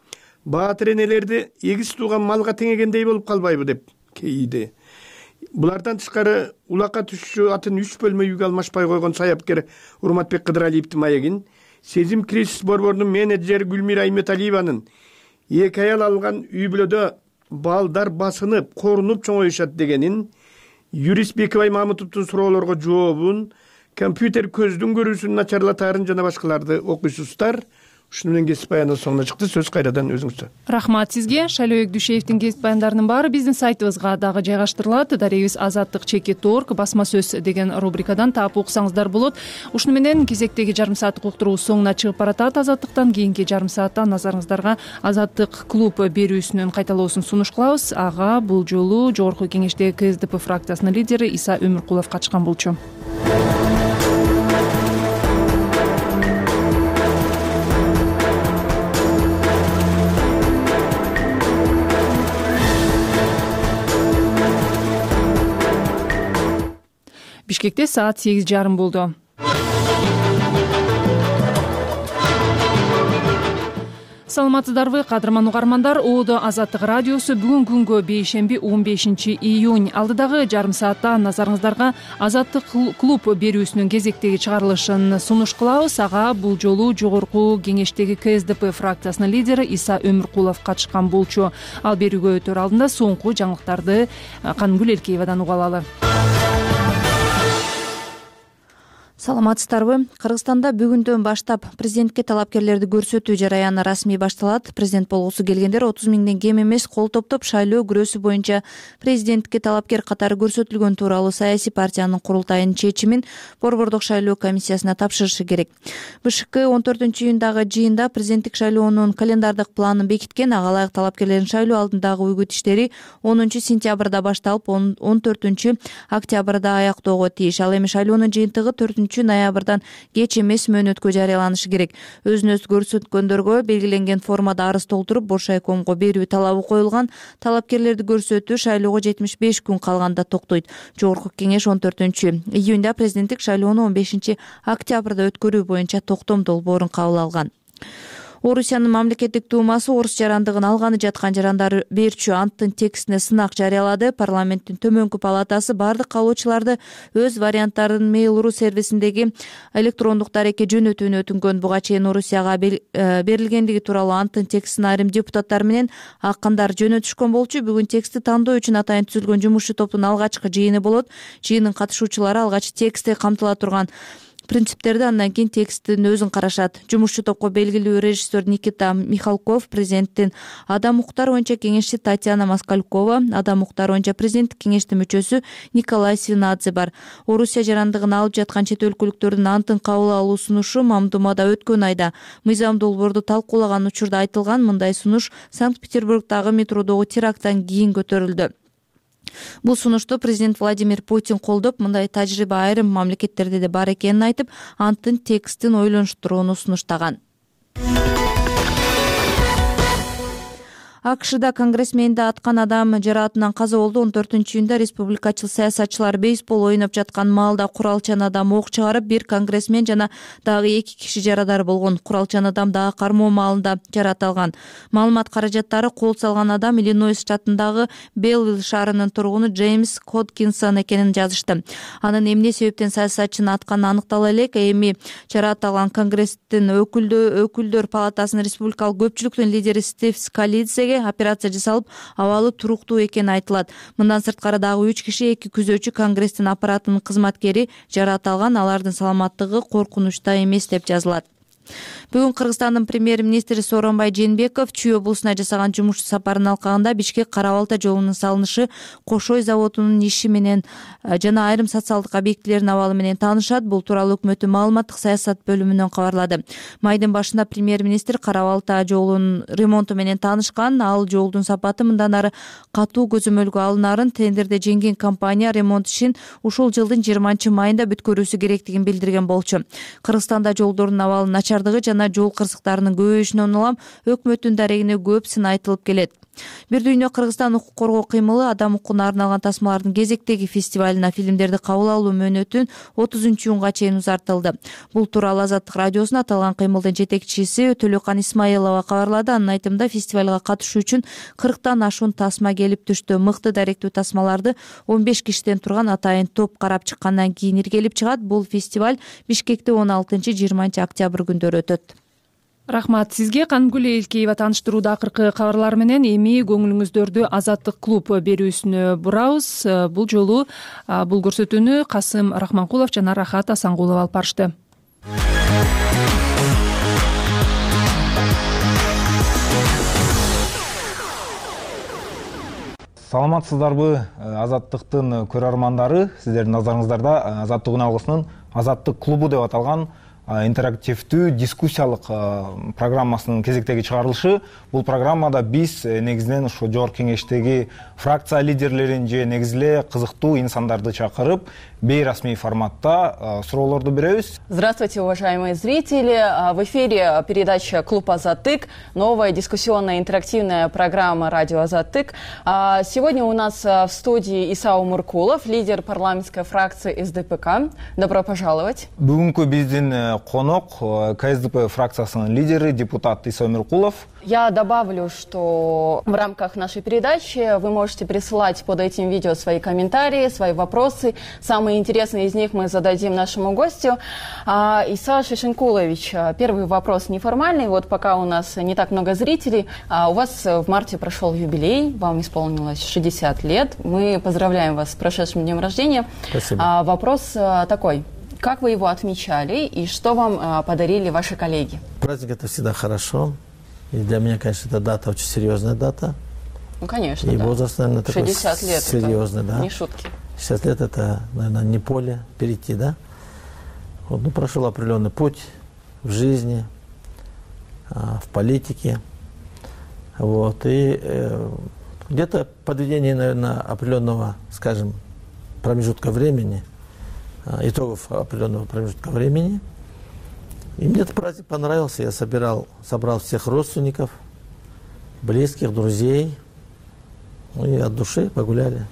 Баатыр энелерди эгиз тууган малга теңегендей болуп калбайбы деп кейиди. Булардан тышкары улакка түшчү атын 3 бөлмө үйгө алмашпай койгон саяпкер Урматбек Кыдыралиевдин маегин Сезим кризис борборунун менеджери Гүлмира Айметалиеванын 2 аял алган үй бүлөдө балдар басынып, корунуп чоңоюшат дегенин, юрист Бекебай Мамытовдун суроолорго жообун, компьютер көздүн көрүүсүн начарлатаарын жана башкаларды окуйсуздар. ушуну менен кесип баяндын соңуна чыкты. Сөз кайрадан өзүңүздө. Рахмат сизге. Шайлообек Дүйшеевдин кесип баяндарынын баары биздин сайтыбызга дагы жайгаштырылат. Дарегибиз azattik.org басма сөз деген рубрикадан таап уксаңыздар болот. Ушуну менен кезектеги жарым сааттык уктуруубуз соңуна чыгып баратат. Азаттыктан кийинки жарым саатта назарыңыздарга Азаттык клуб берүүсүнүн кайталоосун сунуш кылабыз. Ага бул жолу жогорку кеңештеги КСДП фракциясынын лидери Иса Өмүркулов катышкан болчу. Бишкекте саат 8:30 болду. Саламатсыздарбы, кадырман угармандар. ООД Азаттык радиосу бүгүн күнгө бейшемби 15 июнь. Алдыдагы жарым саатта назарыңыздарга Азаттык клуб берүүсүнүн кезектеги чыгарылышын сунуш кылабыз. Ага бул жолу жогорку кеңештеги КСДП фракциясынын лидери Иса Өмүркулов катышкан болчу. Ал берүүгө өтөр алдында соңку жаңылыктарды Канымгүл Элкеевадан уга алалы. Саламатсыздарбы? Кыргызстанда бүгүндөн баштап президентке талапкерлерди көрсөтүү жараяны расмий башталат. Президент болгусу келгендер 30 миңден кем эмес кол топтоп шайлоо күрөөсү боюнча президентке талапкер катары көрсөтүлгөн тууралуу саясий партиянын курултайынын чечимин Борбордук шайлоо комиссиясына тапшырышы керек. БШК 14-июндагы жыйында президенттик шайлоонун календардык планын бекиткен. Ага ылайык талапкерлердин шайлоо алдындагы үгүт иштери 10-сентябрда башталып, 14-октябрда аяктоого тийиш. Ал эми шайлоонун жыйынтыгы 4-ноябрдан кеч эмес мөөнөткө жарыяланышы керек. Өзүн-өзү көрсөткөндөргө белгиленген формада арыз толтуруп, Боршайкомго берүү талабы коюлган. Талапкерлерди көрсөтүү шайлоого 75 күн калганда токтойт. Жогорку кеңеш 14-июнда президенттик шайлоону 15-октябрда өткөрүү боюнча токтом долбоорун кабыл алган. Орусиянын мамлекеттик дуумасы орус жарандыгын алганы жаткан жарандар берчү анттын текстине сынак жарыялады. Парламенттин төмөнкү палатасы бардык каалоочуларды өз варианттарын Mail.ru сервисиндеги электрондук дарекке жөнөтүүнү өтүнгөн. Буга чейин Орусияга берилгендиги тууралуу анттын текстин айрым депутаттар менен акындар жөнөтүшкөн болчу. Бүгүн текстти тандоо үчүн атайын түзүлгөн жумушчу топтун алгачкы жыйыны болот. Жыйынын катышуучулары алгач текстте камтыла турган принциптерди, андан кийин тексттин өзүн карашат. Жумушчу топко белгилүү режиссер Никита Михалков, президенттин адам укуктары боюнча кеңешчи Татьяна Москалькова, адам укуктары боюнча президенттик кеңештин мүчөсү Николай Свинадзе бар. Орусия жарандыгын алып жаткан чет өлкөлүктөрдүн антын кабыл алуу сунушу Мамдумада өткөн айда мыйзам долбоорду талкуулаган учурда айтылган. Мындай сунуш Санкт-Петербургдагы метродогу теракттан кийин көтөрүлдү. Бул сунушту президент Владимир Путин колдоп, мындай тажрыйба айрым мамлекеттерде да бар экенин айтып, анттын текстин ойлонуштурууну сунуштаган. АКШда конгрессменди аткан адам жараатынан каза болду. 14-июнда республикачыл саясатчылар бейсбол ойноп жаткан маалда куралчан адам ок чыгарып, бир конгрессмен жана дагы 2 киши жарадар болгон. Куралчан адам дагы кармоо маалында жараат алган. Маалымат каражаттары кол салган адам Иллинойс штатындагы Белвилл шаарынын тургуну Джеймс Хоткинсон экенин жазышты. Анын эмне себептен саясатчыны атканы аныктала элек. Эми жараат алган конгресстин өкүлдөр палатасынын республикалык көпчүлүктүн лидери Стив Скалидзеге операция жасалып, абалы туруктуу экени айтылат. Мындан сырткары дагы 3 киши, 2 күзөчү конгресстин аппаратынын кызматкери жараат алган. Алардын саламаттыгы коркунучта эмес деп жазылат. Бүгүн Кыргызстандын премьер-министри Сооронбай Жээнбеков Чүй облусуна жасаган жумуш сапарынын алкагында Бишкек Кара Балта жолунун салынышы, Кошой заводунун иши менен жана айрым социалдык объектилердин абалы менен таанышат. Бул тууралуу өкмөттүн маалыматтык саясат бөлүмүнөн кабарлады. Майдын башында премьер-министр Кара Балта жолунун ремонту менен таанышкан. Ал жолдун сапаты мындан ары катуу көзөмөлгө алынарын, тендерде жеңген компания ремонт ишин ушул жылдын 20-майында бүткөрүүсү керектигин билдирген болчу. Кыргызстанда жолдордун абалы начардыгы жана жол кырсыктарынын көбөйүшүнөн улам өкмөттүн дарегине көп сын айтылып келет. Бир дүйнө Кыргызстан укук коргоо кыймылы адам укугуна арналган тасмалардын кезектеги фестивалына фильмдерди кабыл алуу мөөнөтүн 30-июнга чейин узартылды. Бул тууралуу Азаттык радиосуна аталган кыймылдын жетекчиси Төлөкан Исмаилова кабарлады. Анын айтымында фестивалга катышуу үчүн 40тан ашуун тасма келип түштү. Мыкты даректүү тасмаларды 15 кишиден турган атайын топ карап чыккандан кийин иргелип чыгат. Бул фестиваль Бишкекте 16-20 октябрь күндөрү өтөт. Рахмат сизге. Канымгүл Элкеева тааныштырууда акыркы кабарлар менен эми көңүлүңүздөрдү Азаттык клуб берүүсүнө бурабыз. Бул жолу бул көрсөтүүнү Касым Рахманкулов жана Рахат Асангулов алып барышты. Саламатсыздарбы, Азаттыктын көрөрмандары? Сиздердин назарыңыздарда Азаттык үн алгысынын Азаттык клубу деп аталган интерактивдүү дискуссиялык программасынын кезектеги чыгарылышы. Бул программада биз негизинен ушу жогорку кеңештеги фракция лидерлерин же негизиле кызыктуу инсандарды чакырып, бейрасмий форматта суроолорду беребиз. Здравствуйте, уважаемые зрители. В эфире передача «Клуб Азаттык», новая дискуссионная интерактивная программа «Радио Азаттык». Сегодня у нас в студии Иса Умуркулов, лидер парламентской фракции СДПК. Добро пожаловать. Бүгүнкү биздин конок КСДП фракциясынын лидери, депутат Иса Умуркулов. Я добавлю, что в рамках нашей передачи вы можете присылать под этим видео свои комментарии, свои вопросы. Самые интересные из них мы зададим нашему гостю. Иса Шишенкулович, первый вопрос неформальный. Вот пока у нас не так много зрителей. У вас в марте прошел юбилей, вам исполнилось 60 лет. Мы поздравляем вас с прошедшим днем рождения. Спасибо. Вопрос такой. Как вы его отмечали и что вам подарили ваши коллеги? Праздник — это всегда хорошо. И для меня, конечно, эта дата очень серьезная дата. Ну, конечно, и да. возраст, наверное, такой 60 лет серьезный, да. Не шутки. 60 лет — это, наверное, не поле перейти, да. Вот, ну, прошел определенный путь в жизни, в политике. Вот, и где-то подведение, наверное, определенного, скажем, промежутка времени, итогов определенного промежутка времени. И мне этот праздник понравился. Я собрал всех родственников, близких, друзей. Ну и от души погуляли.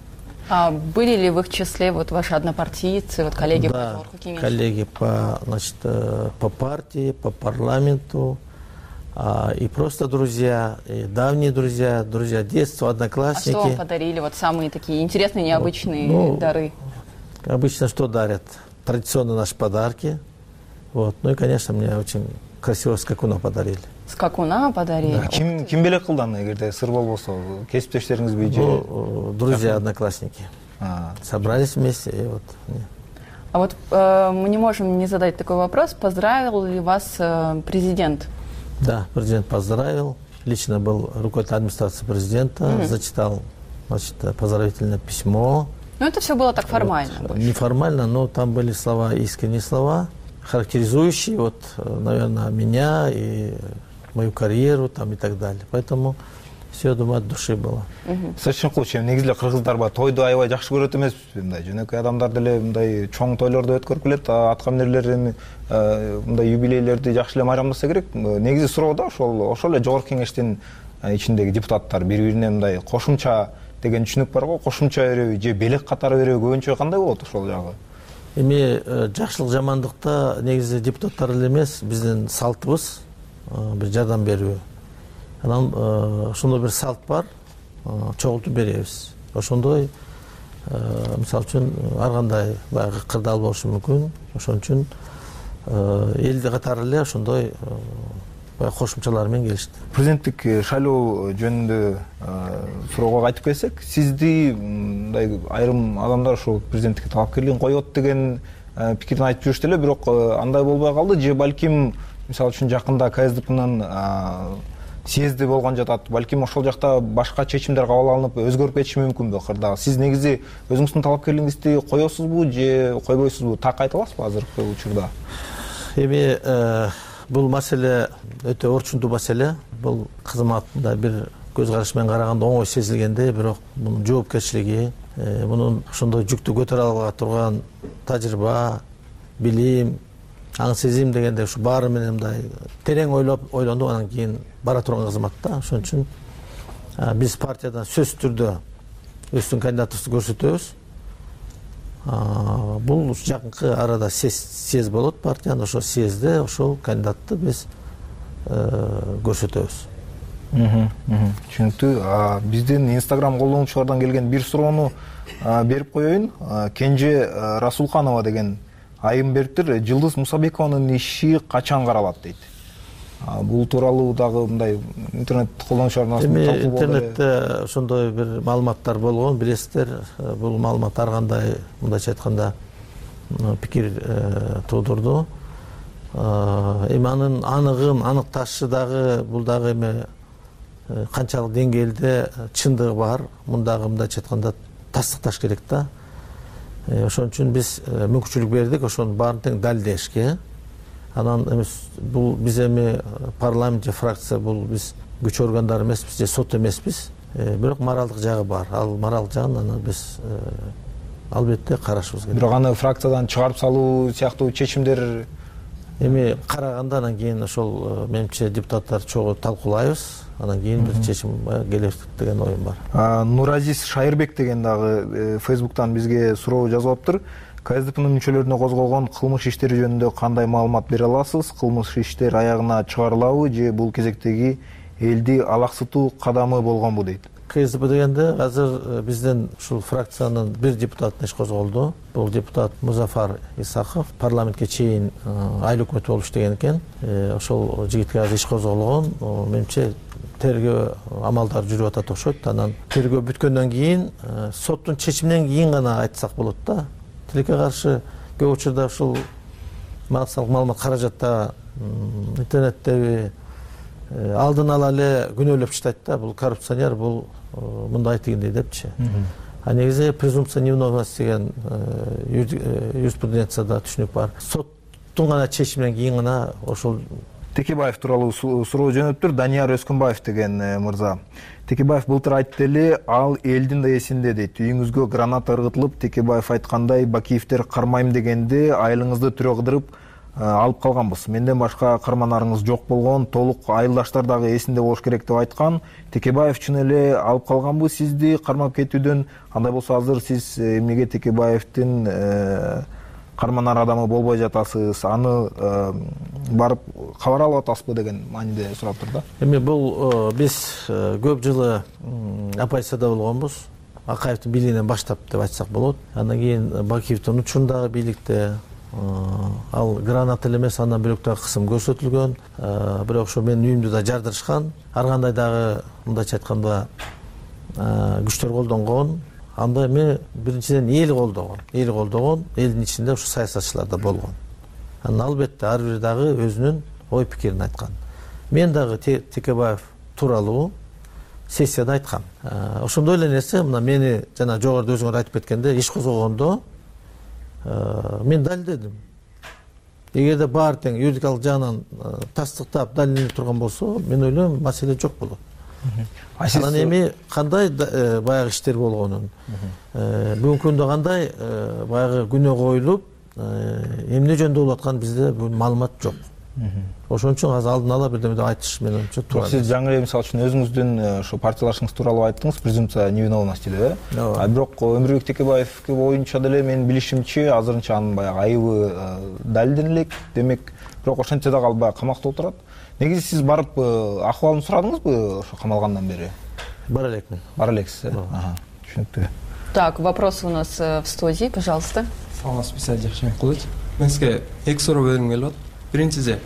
А были ли в их числе вот ваши однопартийцы, вот коллеги да, по Кемерову? Коллеги по партии, по парламенту, и просто друзья, и давние друзья, друзья детства, одноклассники. А что вам подарили? Вот самые такие интересные, необычные дары? Обычно что дарят? Традиционно наши подарки. Вот. Ну и, конечно, мне очень красиво скакуна подарили. Скакуна подарили? Да. Ким белек кылды аны, эгерде сыр болбосо, кесиптештериңизби же? Ну, друзья, одноклассники. Собрались вместе и вот. А вот мы не можем не задать такой вопрос. Поздравил ли вас президент? Да, президент поздравил. Лично был руководитель администрации президента, зачитал, значит, поздравительное письмо. Ну, это все было так формально. Вот. Неформально, но там были слова, искренние слова, характеризующие, вот, наверное, меня и мою карьеру там и так далее. Поэтому все, я думаю, от души было. Шишенкулович, негизинен кыргыздарга тойду аябай жакшы көрөт эмеспизби? Мындай жөнөкөй адамдар деле мындай чоң тойлорду өткөрүп келет, аткаминерлердин мындай юбилейлерди жакшы эле майрамдаса керек. Негизи суроо да ошол эле жогорку кеңештин ичиндеги депутаттар бири-бирине мындай кошумча деген түшүнүк бар го, кошумча береби же белек катары береби көбүнчө кандай болот ошол жагы? Эми жакшылык жамандыкта негизи депутаттар эле эмес, биздин салтыбыз бир жардам берүү. Анан ошондой бир салт бар, чогултуп беребиз. Ошондой, мисалы үчүн, ар кандай баягы кырдаал болушу мүмкүн. Ошон үчүн эл катары эле ошондой кошумчалар менен келишти. Президенттик шайлоо жөнүндө суроого кайтып келсек, сизди мындай айрым адамдар ушул президенттикке талапкерлигин коет деген пикирин айтып жүрүштү эле, бирок андай болбой калды. Же балким, мисалы үчүн, жакында КСДПнын съезди болгон жатат. Балким ошол жакта башка чечимдер кабыл алынып, өзгөрүп кетиши мүмкүнбү кырдаал? Сиз негизи өзүңүздүн талапкерлигиңизди коесузбу же койбойсузбу? Так айта аласызбы азыркы учурда? Эми бул маселе өтө орчундуу маселе. Бул кызматында бир көз караш менен караганда оңой сезилгенде, бирок мунун жоопкерчилиги, мунун ошондой жүктү көтөрө ала турган тажрыйба, билим, аң сезим дегенде ушу баары менен мындай терең ойлонуп, анан кийин бара турган кызмат да. Ошон үчүн биз партиядан сөзсүз түрдө өздүн кандидатыбызды көрсөтөбүз. Бул жакынкы арада съезд болот партиянын, ошол съездде ошол кандидатты биз көрсөтөбүз. Түшүнүктүү. Биздин Instagram колдонуучулардан келген бир суроону берип коеюн. Кенже Расулханова деген айым бериптир. Жылдыз Мусабекованын иши качан каралат дейт. Бул тууралуу дагы мындай интернет колдонуучулардын арасында талкуу болду. Интернетте ошондой бир маалыматтар болгон, билесиздер. Бул маалымат ар кандай, мындайча айтканда, пикир туудурду. Эми анын аныгын аныкташы дагы бул дагы эми канчалык деңгээлде чындыгы бар, мындайча айтканда тастыкташ керек да. Ошон үчүн биз мүмкүнчүлүк бердик ошонун баарын тең далилдешке. Анан бул биз эми парламент же фракция, бул биз күч органдары эмеспиз же сот эмеспиз. Бирок моралдык жагы бар. Ал моралдык жагын аны биз албетте карашыбыз керек. Бирок аны фракциядан чыгарып салуу сыяктуу чечимдер эми караганда анан кийин ошол менимче депутаттар чогуу талкуулайбыз. Анан кийин бир чечим келет деген оюм бар. Нуразис Шайырбек деген дагы Facebook'тан бизге суроо жазып аптыр. КСДПнын мүчөлөрүнө козголгон кылмыш иштери жөнүндө кандай маалымат бере аласыз? Кылмыш иштер аягына чыгарылабы же бул кезектеги элди алаксытуу кадамы болгонбу дейт. КСДП дегенде азыр бизден ушул фракциянын бир депутатына иш козголду. Бул депутат Музафар Исаков парламентке чейин айыл өкмөт болуп иштеген экен. Ошол жигитке азыр иш козголгон. Менимче тергөө амалдары жүрүп атат окшойт. Анан тергөө бүткөндөн кийин соттун чечиминен кийин гана айтсак болот да. Тилекке каршы көп учурда ушул маалымат каражатта интернеттеби алдын ала эле күнөөлөп таштайт да. Бул коррупционер, бул мындай тигиндей депчи. А негизи презумпция невиновности деген юриспруденцияда түшүнүк бар. Соттун гана чечиминен кийин гана ошол Текебаев тууралуу суроо жөнөттүр. Данияр Өскүнбаев деген мырза. Текебаев былтыр айтты эле, ал элдин да эсинде дейт. Үйүңүзгө граната ыргытылып, Текебаев айткандай Бакиевдер кармайм дегенде айылыңызды түрө кыдырып алып калганбыз. Менден башка карманарыңыз жок болгон, толук айылдаштар дагы эсинде болуш керек деп айткан. Текебаев чын эле алып калганбы сизди кармап кетүүдөн? Андай болсо азыр сиз эмнеге Текебаевдин карманар адамы болбой жатасыз? Аны барып кабар алып атасызбы деген мааниде сураптыр да. Эми бул биз көп жылы оппозицияда болгонбуз. Акаевдин бийлигинен баштап деп айтсак болот. Андан кийин Бакиевдин учурундагы бийликте ал граната эле эмес, андан бөлөк дагы кысым көрсөтүлгөн. Бирок ошо менин үйүмдү да жардырышкан. Ар кандай дагы мындайча айтканда күчтөр колдонгон. Анда эми биринчиден эл колдогон, элдин ичинде ушу саясатчылар да болгон. Анан албетте ар бири дагы өзүнүн ой пикирин айткан. Мен дагы Текебаев тууралуу сессияда айткам. Ошондой эле нерсе мына мени жана жогоруда өзүңөр айтып кеткенде иш козгогондо мен далилдедим. Эгерде баары тең юридикалык жагынан тастыктап далилденип турган болсо, мен ойлойм маселе жок болот. Анан эми кандай баягы иштер болгонун, бүгүнкү күндө кандай баягы күнөө коюлуп, эмне жөнүндө болуп аткан бизде бул маалымат жок. Ошон үчүн азыр алдын ала бирдеме деп айтыш менен туура. Сиз жаңы мисалы үчүн өзүңүздүн ошо партиялашыңыз тууралуу айттыңыз, презумпция невиновности деп, бирок Өмүрбек Текебаевке боюнча деле менин билишимче азырынча анын баягы айыбы далилдене элек. Демек, бирок ошентсе дагы ал баягы камакта отурат. Негизи сиз барып акыбалын сурадыңызбы ошо камалгандан бери? Бара элекмин. Бара элексиз, түшүнүктүү. Так, вопрос у нас в студии, пожалуйста. Саламатсызбы, Бисаль Жакшымекулович. Мен сизге эки суроо бергим келип атат. Биринчиси,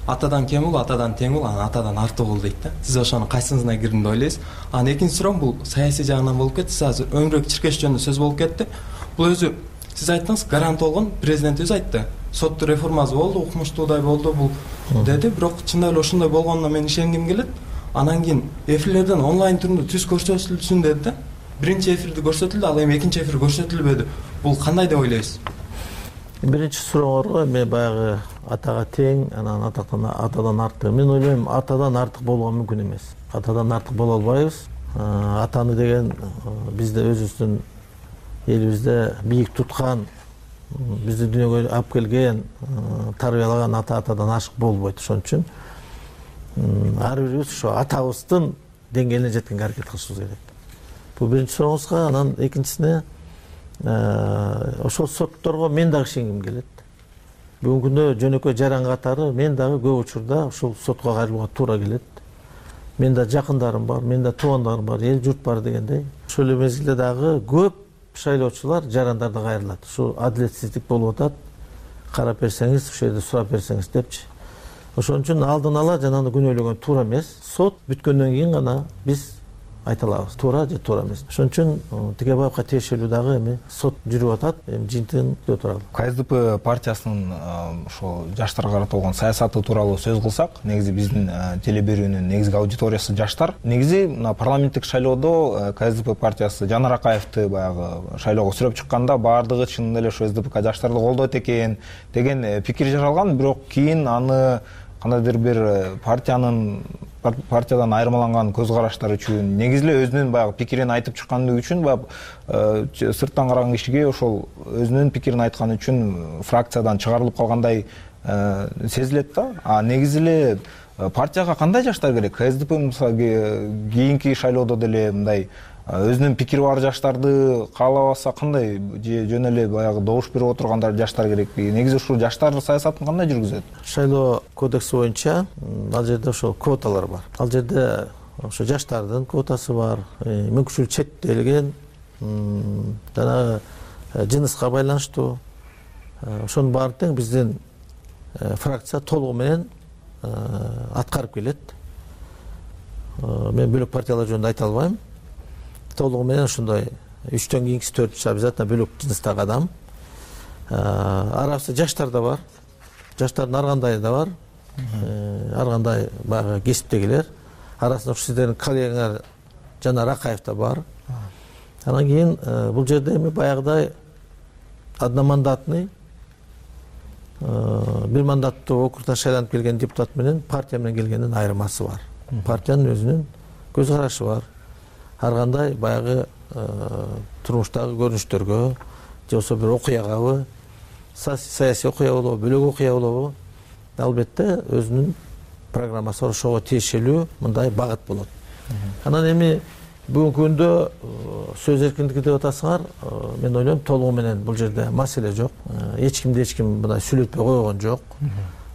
атадан кем бул, атадан тең бул, анан атадан артык бул дейт да. Сиз ошонун кайсысына кирдим деп ойлойсуз? Анан экинчи суроом бул саясий жагынан болуп кетти. Сиз азыр Өмүрбек Чиркеш жөнүндө сөз болуп кетти. Бул өзү сиз айттыңыз, гарант болгон, президент өзү айтты. Соттун реформасы болду, укмуштуудай болду бул деди, бирок чындап эле ошондой болгонуна мен ишенгим келет. Анан кийин эфирлерден онлайн түрүндө түз көрсөтүлсүн деди да. Биринчи эфирди көрсөтүлдү, ал эми экинчи эфир көрсөтүлбөдү. Бул кандай деп ойлойсуз? Биринчи сурооңорго эми баягы атага тең, анан атадан артык. Мен ойлойм, атадан артык болуу мүмкүн эмес. Атадан артык боло албайбыз. Атаны деген бизде өзүбүздүн элибизде бийик туткан, бизди дүйнөгө алып келген, тарбиялаган атадан ашык болбойт. Ошон үчүн ар бирибиз ошо атабыздын деңгээлине жеткенге аракет кылышыбыз керек. Бул биринчи сурооңузга. Анан экинчисине ошол сотторго мен дагы ишенгим келет. Бүгүнкү күндө жөнөкөй жаран катары мен дагы көп учурда ушул сотко кайрылууга туура келет. Мен да жакындарым бар, мен да туугандарым бар, эл журт бар дегендей. Ошол эле мезгилде дагы көп шайлоочулар жарандарда кайрылат. Ушу адилетсиздик болуп атат. Карап берсеңиз, ошол жерде сурап берсеңиз депчи. Ошон үчүн алдын ала жанагы күнөөлөгөн туура эмес. Сот бүткөндөн кийин гана биз айта алабыз, туура же туура эмес. Ошон үчүн Текебаевка тиешелүү дагы эми сот жүрүп атат, эми жыйынтыгын күтүп туралы. КСДП партиясынын ошол жаштарга каратылган саясаты тууралуу сөз кылсак, негизи биздин теле берүүнүн негизги аудиториясы жаштар. Негизи мына парламенттик шайлоодо КСДП партиясы Жанар Акаевди баягы шайлоого сүрөп чыкканда баардыгы чынында эле ошо СДПК жаштарды колдойт экен деген пикир жаралган, бирок кийин аны кандайдыр бир партиядан айырмаланган көз караштар үчүн, негизи эле өзүнүн баягы пикирин айтып чыккандыгы үчүн, баягы сырттан караган кишиге ошол өзүнүн пикирин айтканы үчүн фракциядан чыгарылып калгандай сезилет да. А негизи эле партияга кандай жаштар керек? КСДП мисалы кийинки шайлоодо деле мындай өзүнүн пикири бар жаштарды каалабаса кандай, же жөн эле баягы добуш берип отургандар жаштар керекпи? Негизи ушул жаштар саясатын кандай жүргүзөт? Шайлоо кодекси боюнча ал жерде ошол квоталар бар. Ал жерде ошо жаштардын квотасы бар, мүмкүнчүлүгү чектелген, жанагы жыныска байланыштуу. Ошонун баарын тең биздин фракция толугу менен аткарып келет. Мен бөлөк партиялар жөнүндө айта албайм. Толугу менен ошондой 3төн кийинкиси 4-чү обязательно бөлөк жыныстагы адам. Арабызда жаштар да бар. Жаштардын ар кандайы да бар. Ар кандай баягы кесиптегилер. Арасында ушу сиздердин коллегаңар Жанар Акаев да бар. Анан кийин бул жерде эми баягыдай одномандатный бир мандаттуу округтан шайланып келген депутат менен партия менен келгендин айырмасы бар. Партиянын өзүнүн көз карашы бар. Ар кандай баягы турмуштагы көрүнүштөргө же болбосо бир окуягабы, саясий окуя болобу, бөлөк окуя болобу, албетте өзүнүн программасы бар, ошого тиешелүү мындай багыт болот. Анан эми бүгүнкү күндө сөз эркиндиги деп атасыңар, мен ойлойм толугу менен бул жерде маселе жок. Эч ким мындай сүйлөтпөй койгон жок.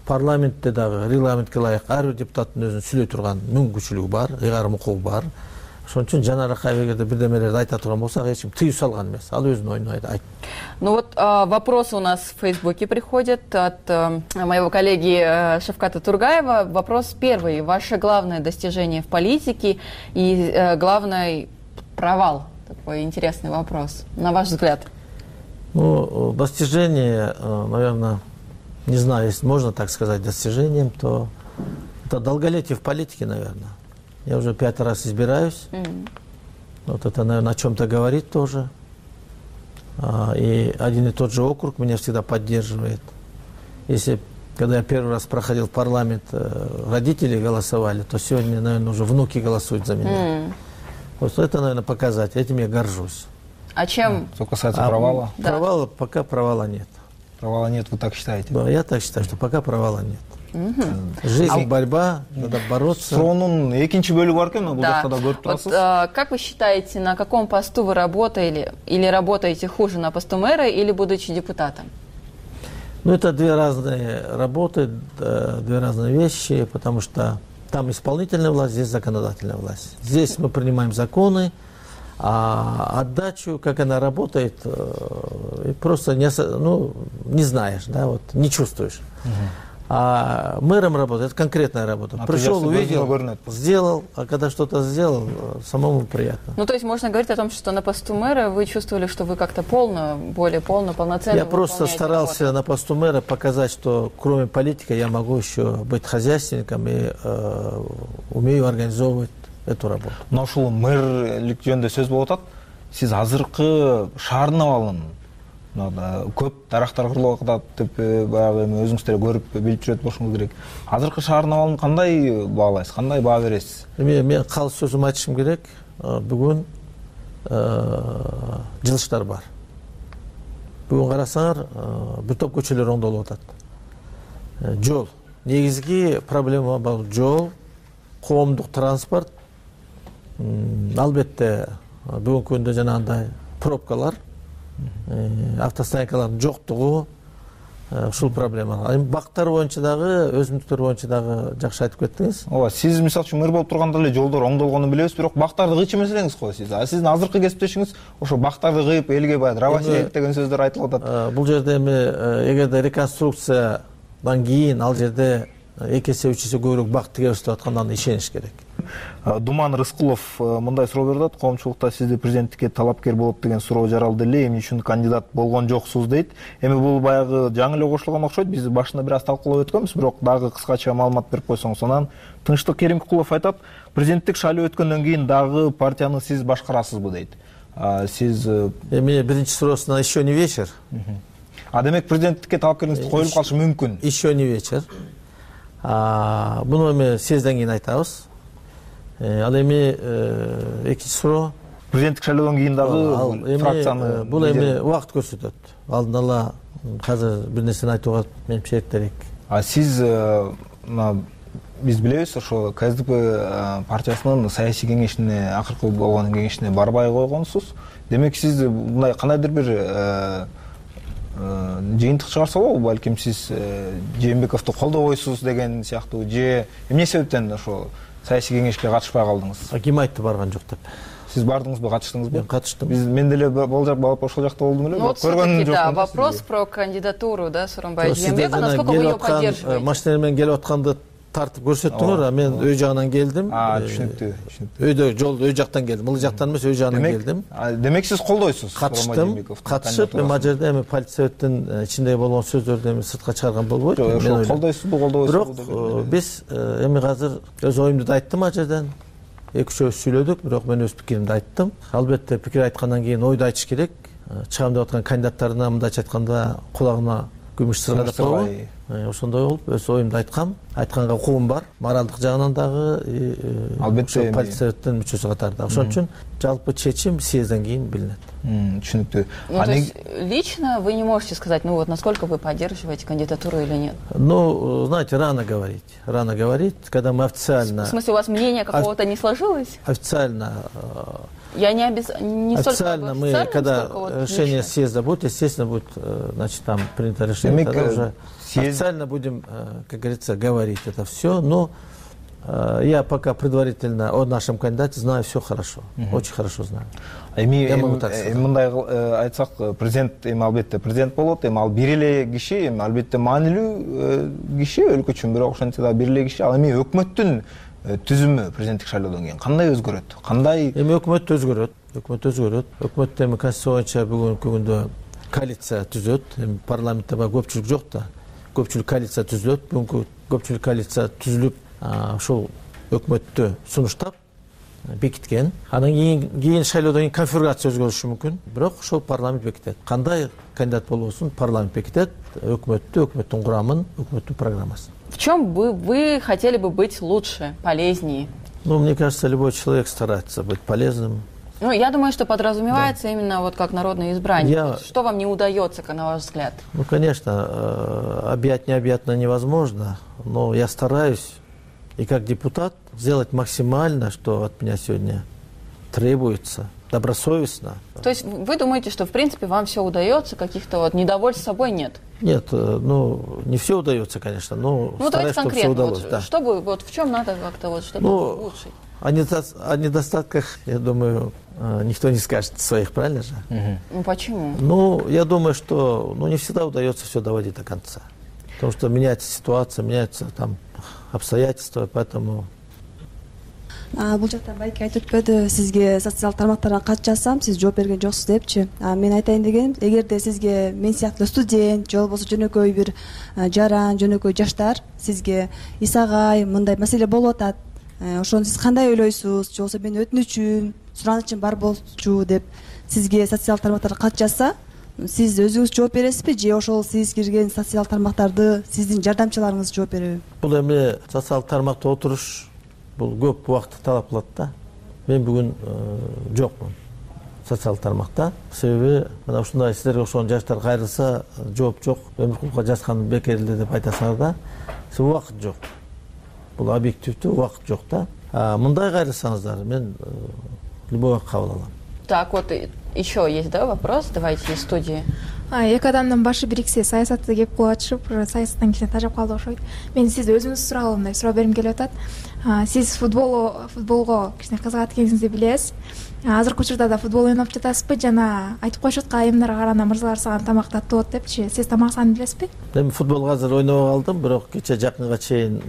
Парламентте дагы регламентке ылайык ар бир депутаттын өзүнүн сүйлөй турган мүмкүнчүлүгү бар, ыйгарым укугу бар. Ошон үчүн Жанар Акаев эгерде бирдемелерди айта турган болсак, эч ким тыюу салган эмес. Ал өзүнүн оюн айтты. Ну вот вопросы у нас в Фейсбуке приходят от моего коллеги Шавката Тургаева. Вопрос первый. Ваше главное достижение в политике и главный провал? Такой интересный вопрос. На ваш взгляд? Ну, достижение, наверное, не знаю, если можно так сказать достижением, то это долголетие в политике, наверное. Я уже 5 раз избираюсь. Вот это, наверное, о чем-то говорит тоже. И один и тот же округ меня всегда поддерживает. Если, когда я первый раз проходил в парламент, родители голосовали, то сегодня, наверное, уже внуки голосуют за меня. Вот это, наверное, показатель. Этим я горжусь. А чем? Что касается провала? Да. Провала, пока провала нет. Провала нет, вы так считаете? Да, я так считаю, что пока провала нет. Жизнь, борьба, надо бороться. Суроонун экинчи бөлүгү бар экен, бул жакта да көрүп турасыз. Как вы считаете, на каком посту вы работали или работаете хуже, на посту мэра или будучи депутатом? Ну, это две разные работы, две разные вещи, потому что там исполнительная власть, здесь законодательная власть. Здесь мы принимаем законы, а отдачу, как она работает, просто не знаешь, да, вот, не чувствуешь. А мэром работает, это конкретная работа. Пришел, увидел, сделал, а когда что-то сделал, самому приятно. Ну, то есть можно говорить о том, что на посту мэра вы чувствовали, что вы как-то более полноценно. Я просто старался работу на посту мэра показать, что кроме политики я могу еще быть хозяйственником и умею организовывать эту работу. Но ушул мэрлик жөнүндө сөз болуп атат. Сиз азыркы шаардын абалын көп дарактар кырылып атат деп баягы өзүңүздөр көрүп билип жүрөт болушуңуз керек. Азыркы шаардын абалын кандай баалайсыз, кандай баа бересиз? Мен калыс сөзүмдү айтышым керек. Бүгүн жылыштар бар. Бүгүн карасаңар, бир топ көчөлөр оңдолуп атат. Жол. Негизги проблема бул жол, коомдук транспорт. Албетте бүгүнкү күндө жанагындай пробкалар, автостоянкалардын жоктугу, ушул проблема. Бактар боюнча дагы, өзүмдүктөр боюнча дагы жакшы айтып кеттиңиз. Ооба, сиз мисалы үчүн мэр болуп турганда эле жолдор оңдолгонун билебиз, бирок бактарды кыйчымасаңыз го сиз. Сиздин азыркы кесиптешиңиз ошо бактарды кыйып элге баягы дровосек деген сөздөр айтылып атат. Бул жерде эми эгерде реконструкциядан кийин ал жерде 2 эсе 3 эсе көбүрөөк бак тиге баштап атканда аны ишениш керек. Думан Рыскулов мындай суроо берип атат. Коомчулукта сизди президенттикке талапкер болот деген суроо жаралды эле, эмне үчүн кандидат болгон жоксуз дейт. Эми бул баягы жаңы эле кошулган окшойт. Биз башында бир аз талкуулап өткөнбүз, бирок дагы кыскача маалымат берип койсоңуз. Анан Тынчтык Керимкулов айтат, президенттик шайлоо өткөндөн кийин дагы партияны сиз башкарасызбы дейт. Сиз эми биринчи суроосуна еще не вечер. Демек президенттикке талапкерлигиңиз коюлуп калышы мүмкүн. Еще не вечер. Буну эми съездден кийин айтабыз. Ал эми экинчи суроо президенттик шайлоодон кийин дагы фракцияны бул эми убакыт көрсөтөт. Алдын ала азыр бир нерсени айтууга менимче эртерээк. Сиз биз билебиз, ошо КСДП партиясынын саясий кеңешине, акыркы болгон кеңешине барбай койгонсуз. Демек сиз мындай кандайдыр бир жыйынтык чыгарса болобу, балким сиз Жээнбековду колдобойсуз деген сыяктуу, же эмне себептен ошо саясий кеңешке катышпай калдыңыз? Ким айтты барган жок деп? Сиз бардыңызбы, катыштыңызбы? Мен катыштым. Мен деле ошол жакта болдум эле. Вот все-таки, да, вопрос про кандидатуру, да, Сооронбай Жээнбекова, насколько вы ее поддерживаете? Машина менен келип атканды тартып көрсөттүңөр, а мен үй жагынан келдим. Түшүнүктүү. Үйдө жолдо үй жактан келдим. Бул жактан эмес, үй жагынан келдим. Демек сиз колдойсуз? Катышып, эми ал жерде эми политсоветтин ичинде болгон сөздөрдү эми сыртка чыгарган болбойт. Ошо колдойсузбу, колдобойсузбу? Бирок биз эми азыр өз оюмду да айттым ал жерден. Эки-үчөөбүз сүйлөдүк, бирок мен өз пикиримди айттым. Албетте пикир айткандан кийин ойду айтыш керек. Чыгам деп аткан кандидаттарына мындайча айтканда кулагына күмүш сыргадап койбойбу? Ошондой болуп өз оюмду айткам. Айтканга укугум бар. Моралдык жагынан дагы албетте политсоветтин мүчөсү катарында. Ошон үчүн жалпы чечим съездден кийин билинет. Түшүнүктүү. То есть лично вы не можете сказать, ну вот насколько вы поддерживаете кандидатуру или нет? Ну, знаете, рано говорить. Рано говорить, когда мы официально... В смысле, у вас мнение какого-то не сложилось? Официально... Я не официально мы, когда решение съезда будет, естественно, будет, значит, там принято решение, тогда уже официально будем, как говорится, говорить это все. Но я пока предварительно о нашем кандидате знаю все хорошо, очень хорошо знаю. Мындай айтсак, президент эми албетте президент болот, эми ал бир эле киши, эми албетте маанилүү киши өлкө үчүн, бирок ошентсе да бир эле киши. Ал эми өкмөттүн түзүмү президенттик шайлоодон кийин кандай өзгөрөт? Кандай? Эми өкмөт өзгөрөт. Өкмөттө эми конституция боюнча бүгүнкү күндө коалиция түзөт. Эми парламентте көпчүлүк жок да. Көпчүлүк коалиция түзүлөт. Бүгүнкү көпчүлүк коалиция түзүлүп, ошол өкмөттү сунуштап бекиткен. Анан кийин шайлоодон кийин конфигурация өзгөрүшү мүмкүн. Бирок ошол парламент бекитет. Кандай кандидат болбосун, парламент бекитет өкмөттүн курамын, өкмөттүн программасын. В чем вы хотели бы быть лучше, полезнее? Ну, мне кажется, любой человек старается быть полезным. Ну, я думаю, что подразумевается именно вот как народное избрание. Что вам не удается, на ваш взгляд? Ну, конечно, объять необъятно невозможно, но я стараюсь и как депутат сделать максимально, что от меня сегодня требуется, добросовестно. То есть вы думаете, что в принципе вам все удается, каких-то вот недовольств собой нет? Нет, ну не все удается, конечно, но стараюсь, чтобы все удалось. Вот, да. Чтобы вот в чем надо как-то вот что-то улучшить? О недостатках, я думаю, никто не скажет своих, правильно же? Ну почему? Ну, я думаю, что не всегда удается все доводить до конца. Потому что меняется ситуация, меняются там обстоятельства, поэтому... Бул жакта байке айтып өтпөдү, сизге социалдык тармактарга кат жазсам, сиз жооп берген жоксуз депчи. Мен айтайын дегеним, эгерде сизге мен сыяктуу студент, же болбосо жөнөкөй бир жаран, жөнөкөй жаштар сизге Исагай мындай маселе болуп атат, ошону сиз кандай ойлойсуз, же болбосо менин өтүнүчүм, суранычым бар болчу деп сизге социалдык тармактарга кат жазса, сиз өзүңүз жооп бересизби, же ошол сиз кирген социалдык тармактарды сиздин жардамчыларыңыз жооп береби? Бул эми социалдык тармакта отуруш бул көп убакытты талап кылат да. Мен бүгүн жокмун социалдык тармакта. Себеби мына ушундай сиздерге окшогон жаштар кайрылса, жооп жок, Өмүркуловго жазган бекерилди деп айтасыңар да. Себеби убакыт жок. Бул объективдүү убакыт жок да. Мындай кайрылсаңыздар, мен любой кабыл алам. Так, вот еще есть, да, вопрос? Давайте из студии. Эки адамдын башы бириксе, саясатты кеп кулачып, саясаттан кичине тажап калды окшойт. Мен сизди өзүңүз сураалымдай суроо бергим келип атат. Сиз футболго кичине кызыгат экениңизди билебиз. Азыркы учурда да футбол ойноп жатасызбы? Жана айтып коюшат, айымдарга караганда мырзалар сага тамак таттуу болот депчи. Сиз тамак санын билесизби? Эми футболго азыр ойнобой калдым, бирок кече жакынга чейин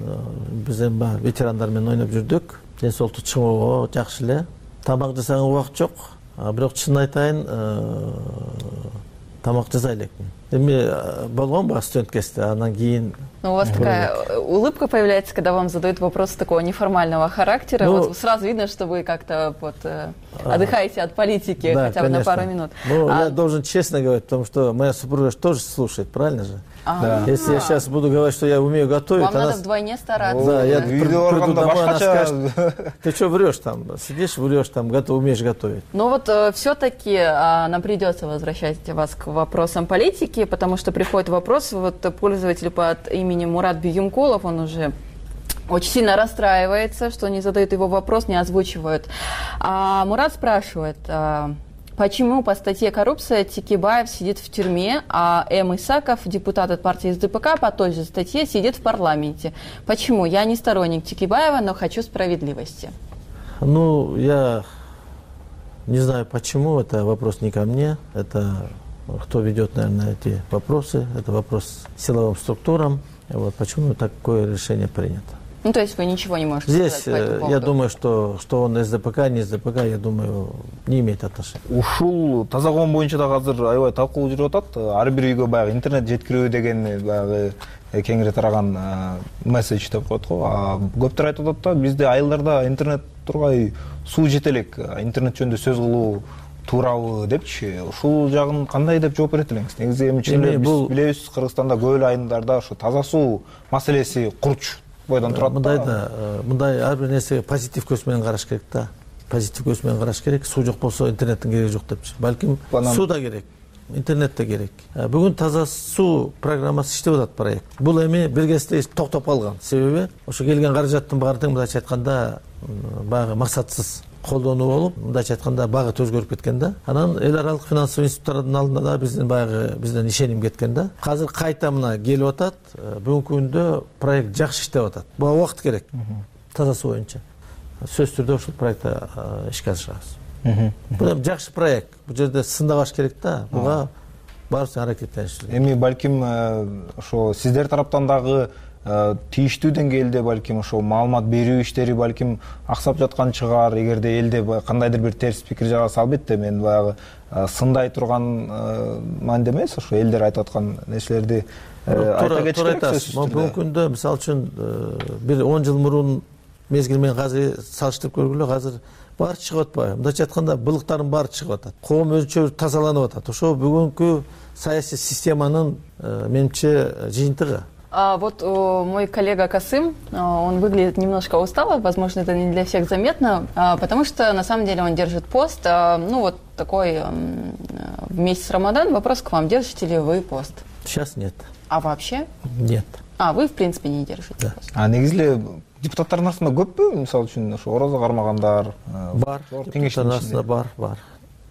биз эми ветерандар менен ойноп жүрдүк. ден соолукту чыңоого жакшы эле. Тамак жасаганга убакыт жок. Бирок чын айтайын, тамак жасай элекмин. Эми болгон баягы студент кезде, андан кийин. У вас такая улыбка появляется, когда вам задают вопросы такого неформального характера. Вот сразу видно, что вы как-то вот отдыхаете от политики, да, хотя бы на пару минут. Ну, я должен честно говорить, потому что моя супруга тоже слушает, правильно же? Да. Если я сейчас буду говорить, что я умею готовить... Вам надо вдвойне стараться. Да, я приду домой, она скажет, ты что врешь там, сидишь, врешь там, умеешь готовить. Ну вот все-таки нам придется возвращать вас к вопросам политики, потому что приходит вопрос, вот пользователь под именем Мурат Бююмкулов, он уже очень сильно расстраивается, что не задают его вопрос, не озвучивают. Мурат спрашивает... Почему по статье «Коррупция» Текебаев сидит в тюрьме, а М. Исаков, депутат от партии СДПК, по той же статье сидит в парламенте? Почему? Я не сторонник Текебаева, но хочу справедливости. Ну, я не знаю почему, это вопрос не ко мне, это кто ведет, наверное, эти вопросы, это вопрос силовым структурам. Вот почему такое решение принято. Ну, то есть вы ничего не можете сказать по этому поводу? Я думаю, что он СДПК, не СДПК, я думаю, не имеет отношения. Ушул таза коом боюнча да азыр аябай талкуу жүрүп атат. Ар бир үйгө баягы интернет жеткирүү деген баягы кеңири тараган месседж деп коет го. Көптөр айтып атат да, бизде айылдарда интернет турбай суу жете элек, интернет жөнүндө сөз кылуу туурабы депчи. Ушул жагын кандай деп жооп берет элеңиз? Негизи эми чын эле биз билебиз, Кыргызстанда көп эле айылдарда ошо таза суу маселеси курч бойдон турат. Мындай ар бир нерсеге позитив көз менен караш керек да. Позитив көз менен караш керек. Суу жок болсо интернеттин кереги жок депчи. Балким суу да керек, интернет да керек. Бүгүн таза суу программасы иштеп атат проект. Бул эми бир кезде токтоп калган. Себеби ошо келген каражаттын баары тең мындайча айтканда баягы максатсыз колдонуу болуп, мындайча айтканда багыт өзгөрүп кеткен да. Анан эл аралык финансовый институттардын алдында да бизден ишеним кеткен да. Азыр кайта мына келип атат. Бүгүнкү күндө проект жакшы иштеп атат. Буга убакыт керек. Таза суу боюнча. Сөзсүз түрдө ушул проектти ишке ашырабыз. Бул эми жакшы проект. Бул жерде сындабаш керек да. Буга баарыбыз аракеттенишибиз керек. Эми балким ошо сиздер тараптан дагы тийиштүү деңгээлде балким ошо маалымат берүү иштери балким аксап жаткан чыгар. Эгерде элде кандайдыр бир терс пикир жараса, албетте мен баягы сындай турган маанидә эмес, ошо элдер айтып аткан нерселерди айта кетиш керек. Бүгүнкү күндө мисалы үчүн бир 10 жыл мурун мезгил менен азыр салыштырып көргүлө, азыр баары чыгып атпайбы? Мындайча айтканда былыктардын баары чыгып атат. Коом өзүнчө тазаланып атат. Ошо бүгүнкү саясий системанын менимче жыйынтыгы. Вот мой коллега Касым, он выглядит немножко устало, возможно, это не для всех заметно, потому что на самом деле он держит пост, ну вот такой в месяц Рамадан. Вопрос к вам, держите ли вы пост? Сейчас нет. А вообще? Нет. Вы в принципе не держите пост? Негизи эле депутаттардын арасында көппү, мисалы үчүн ошо орозо кармагандар? Бар, депутаттардын арасында бар.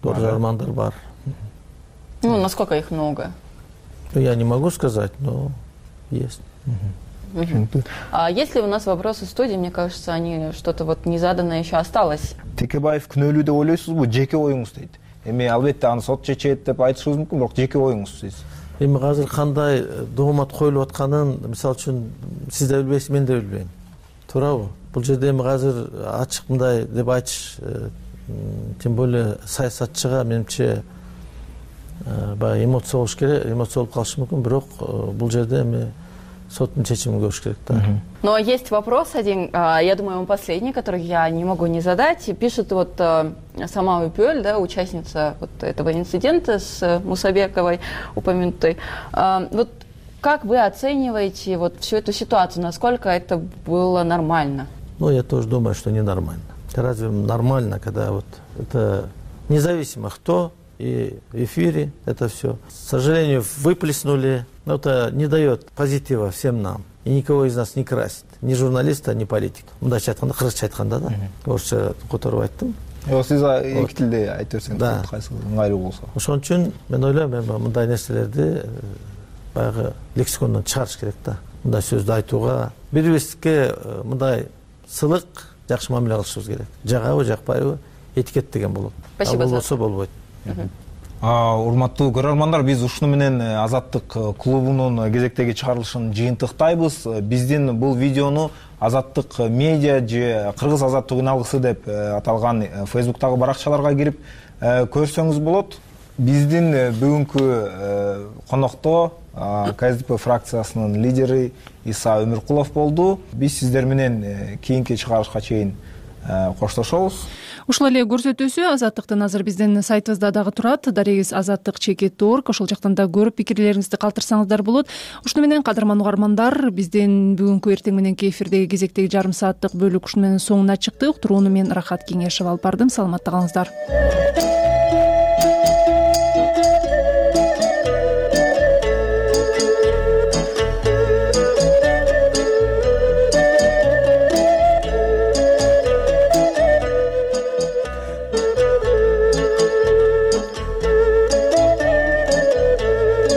Доржо армандар бар. Ну, насколько их много? Я не могу сказать, но есть. Если у нас вопросы в студии, мне кажется, они что-то вот незаданное еще осталось. Текебаев күнөөлүү деп ойлойсузбу, жеке оюңуз дейт. Эми албетте аны сот чечет деп айтышыбыз мүмкүн, бирок жеке оюңуз дейсиз. Эми азыр кандай доомат коюлуп атканын, мисалы үчүн сиз да билбейсиз, мен да билбейм. Туурабы? Бул жерде эми азыр ачык мындай деп айтыш, тем более саясатчыга менимче баягы эмоция болуш керек, эмоция болуп калышы мүмкүн, бирок бул жерде эми соттун чечимин көрүш керек да. Но есть вопрос один, я думаю, он последний, который я не могу не задать. Пишет вот сама Упёль, да, участница вот этого инцидента с Мусабековой упомянутой. Вот как вы оцениваете вот всю эту ситуацию? Насколько это было нормально? Ну, я тоже думаю, что ненормально. Разве нормально, когда вот это независимо кто и в эфире это все. К сожалению, выплеснули, но это не дает позитива всем нам. И никого из нас не красит. Ни журналиста, ни политика. Мындайча айтканда, кыргызча айтканда да. Орусча которуп айттым. Сиз эки тилде айтып берсеңиз, кайсы ыңгайлуу болсо. Ошон үчүн мен ойлойм, мындай нерселерди баягы лексикондон чыгарыш керек да. Мындай сөздү айтууга, бири-бирибизге мындай сылык, жакшы мамиле кылышыбыз керек. Жагабы, жакпайбы, этикет деген болот. Спасибо. Болбосо болбойт. Урматтуу көрөрмандар, биз ушуну менен Азаттык клубунун кезектеги чыгарылышын жыйынтыктайбыз. Биздин бул видеону азаттык медиа же кыргыз азаттык үн алгысы деп аталган фейсбуктагы баракчаларга кирип көрсөңүз болот. Биздин бүгүнкү конокто КСДП фракциясынын лидери Иса Өмүркулов болду. Биз сиздер менен кийинки чыгарышка чейин коштошобуз. Ушул эле көрсөтүүсү Азаттыктын азыр биздин сайтыбызда дагы турат. Дарегиз azattik.org. Ошол жактан да көрүп пикирлериңизди калтырсаңыздар болот. Ушуну менен кадырман угармандар, биздин бүгүнкү эртең мененки эфирдеги кезектеги жарым сааттык бөлүк ушуну менен соңуна чыкты. Уктурууну мен Рахат Кеңешева алып бардым. Саламатта калыңыздар.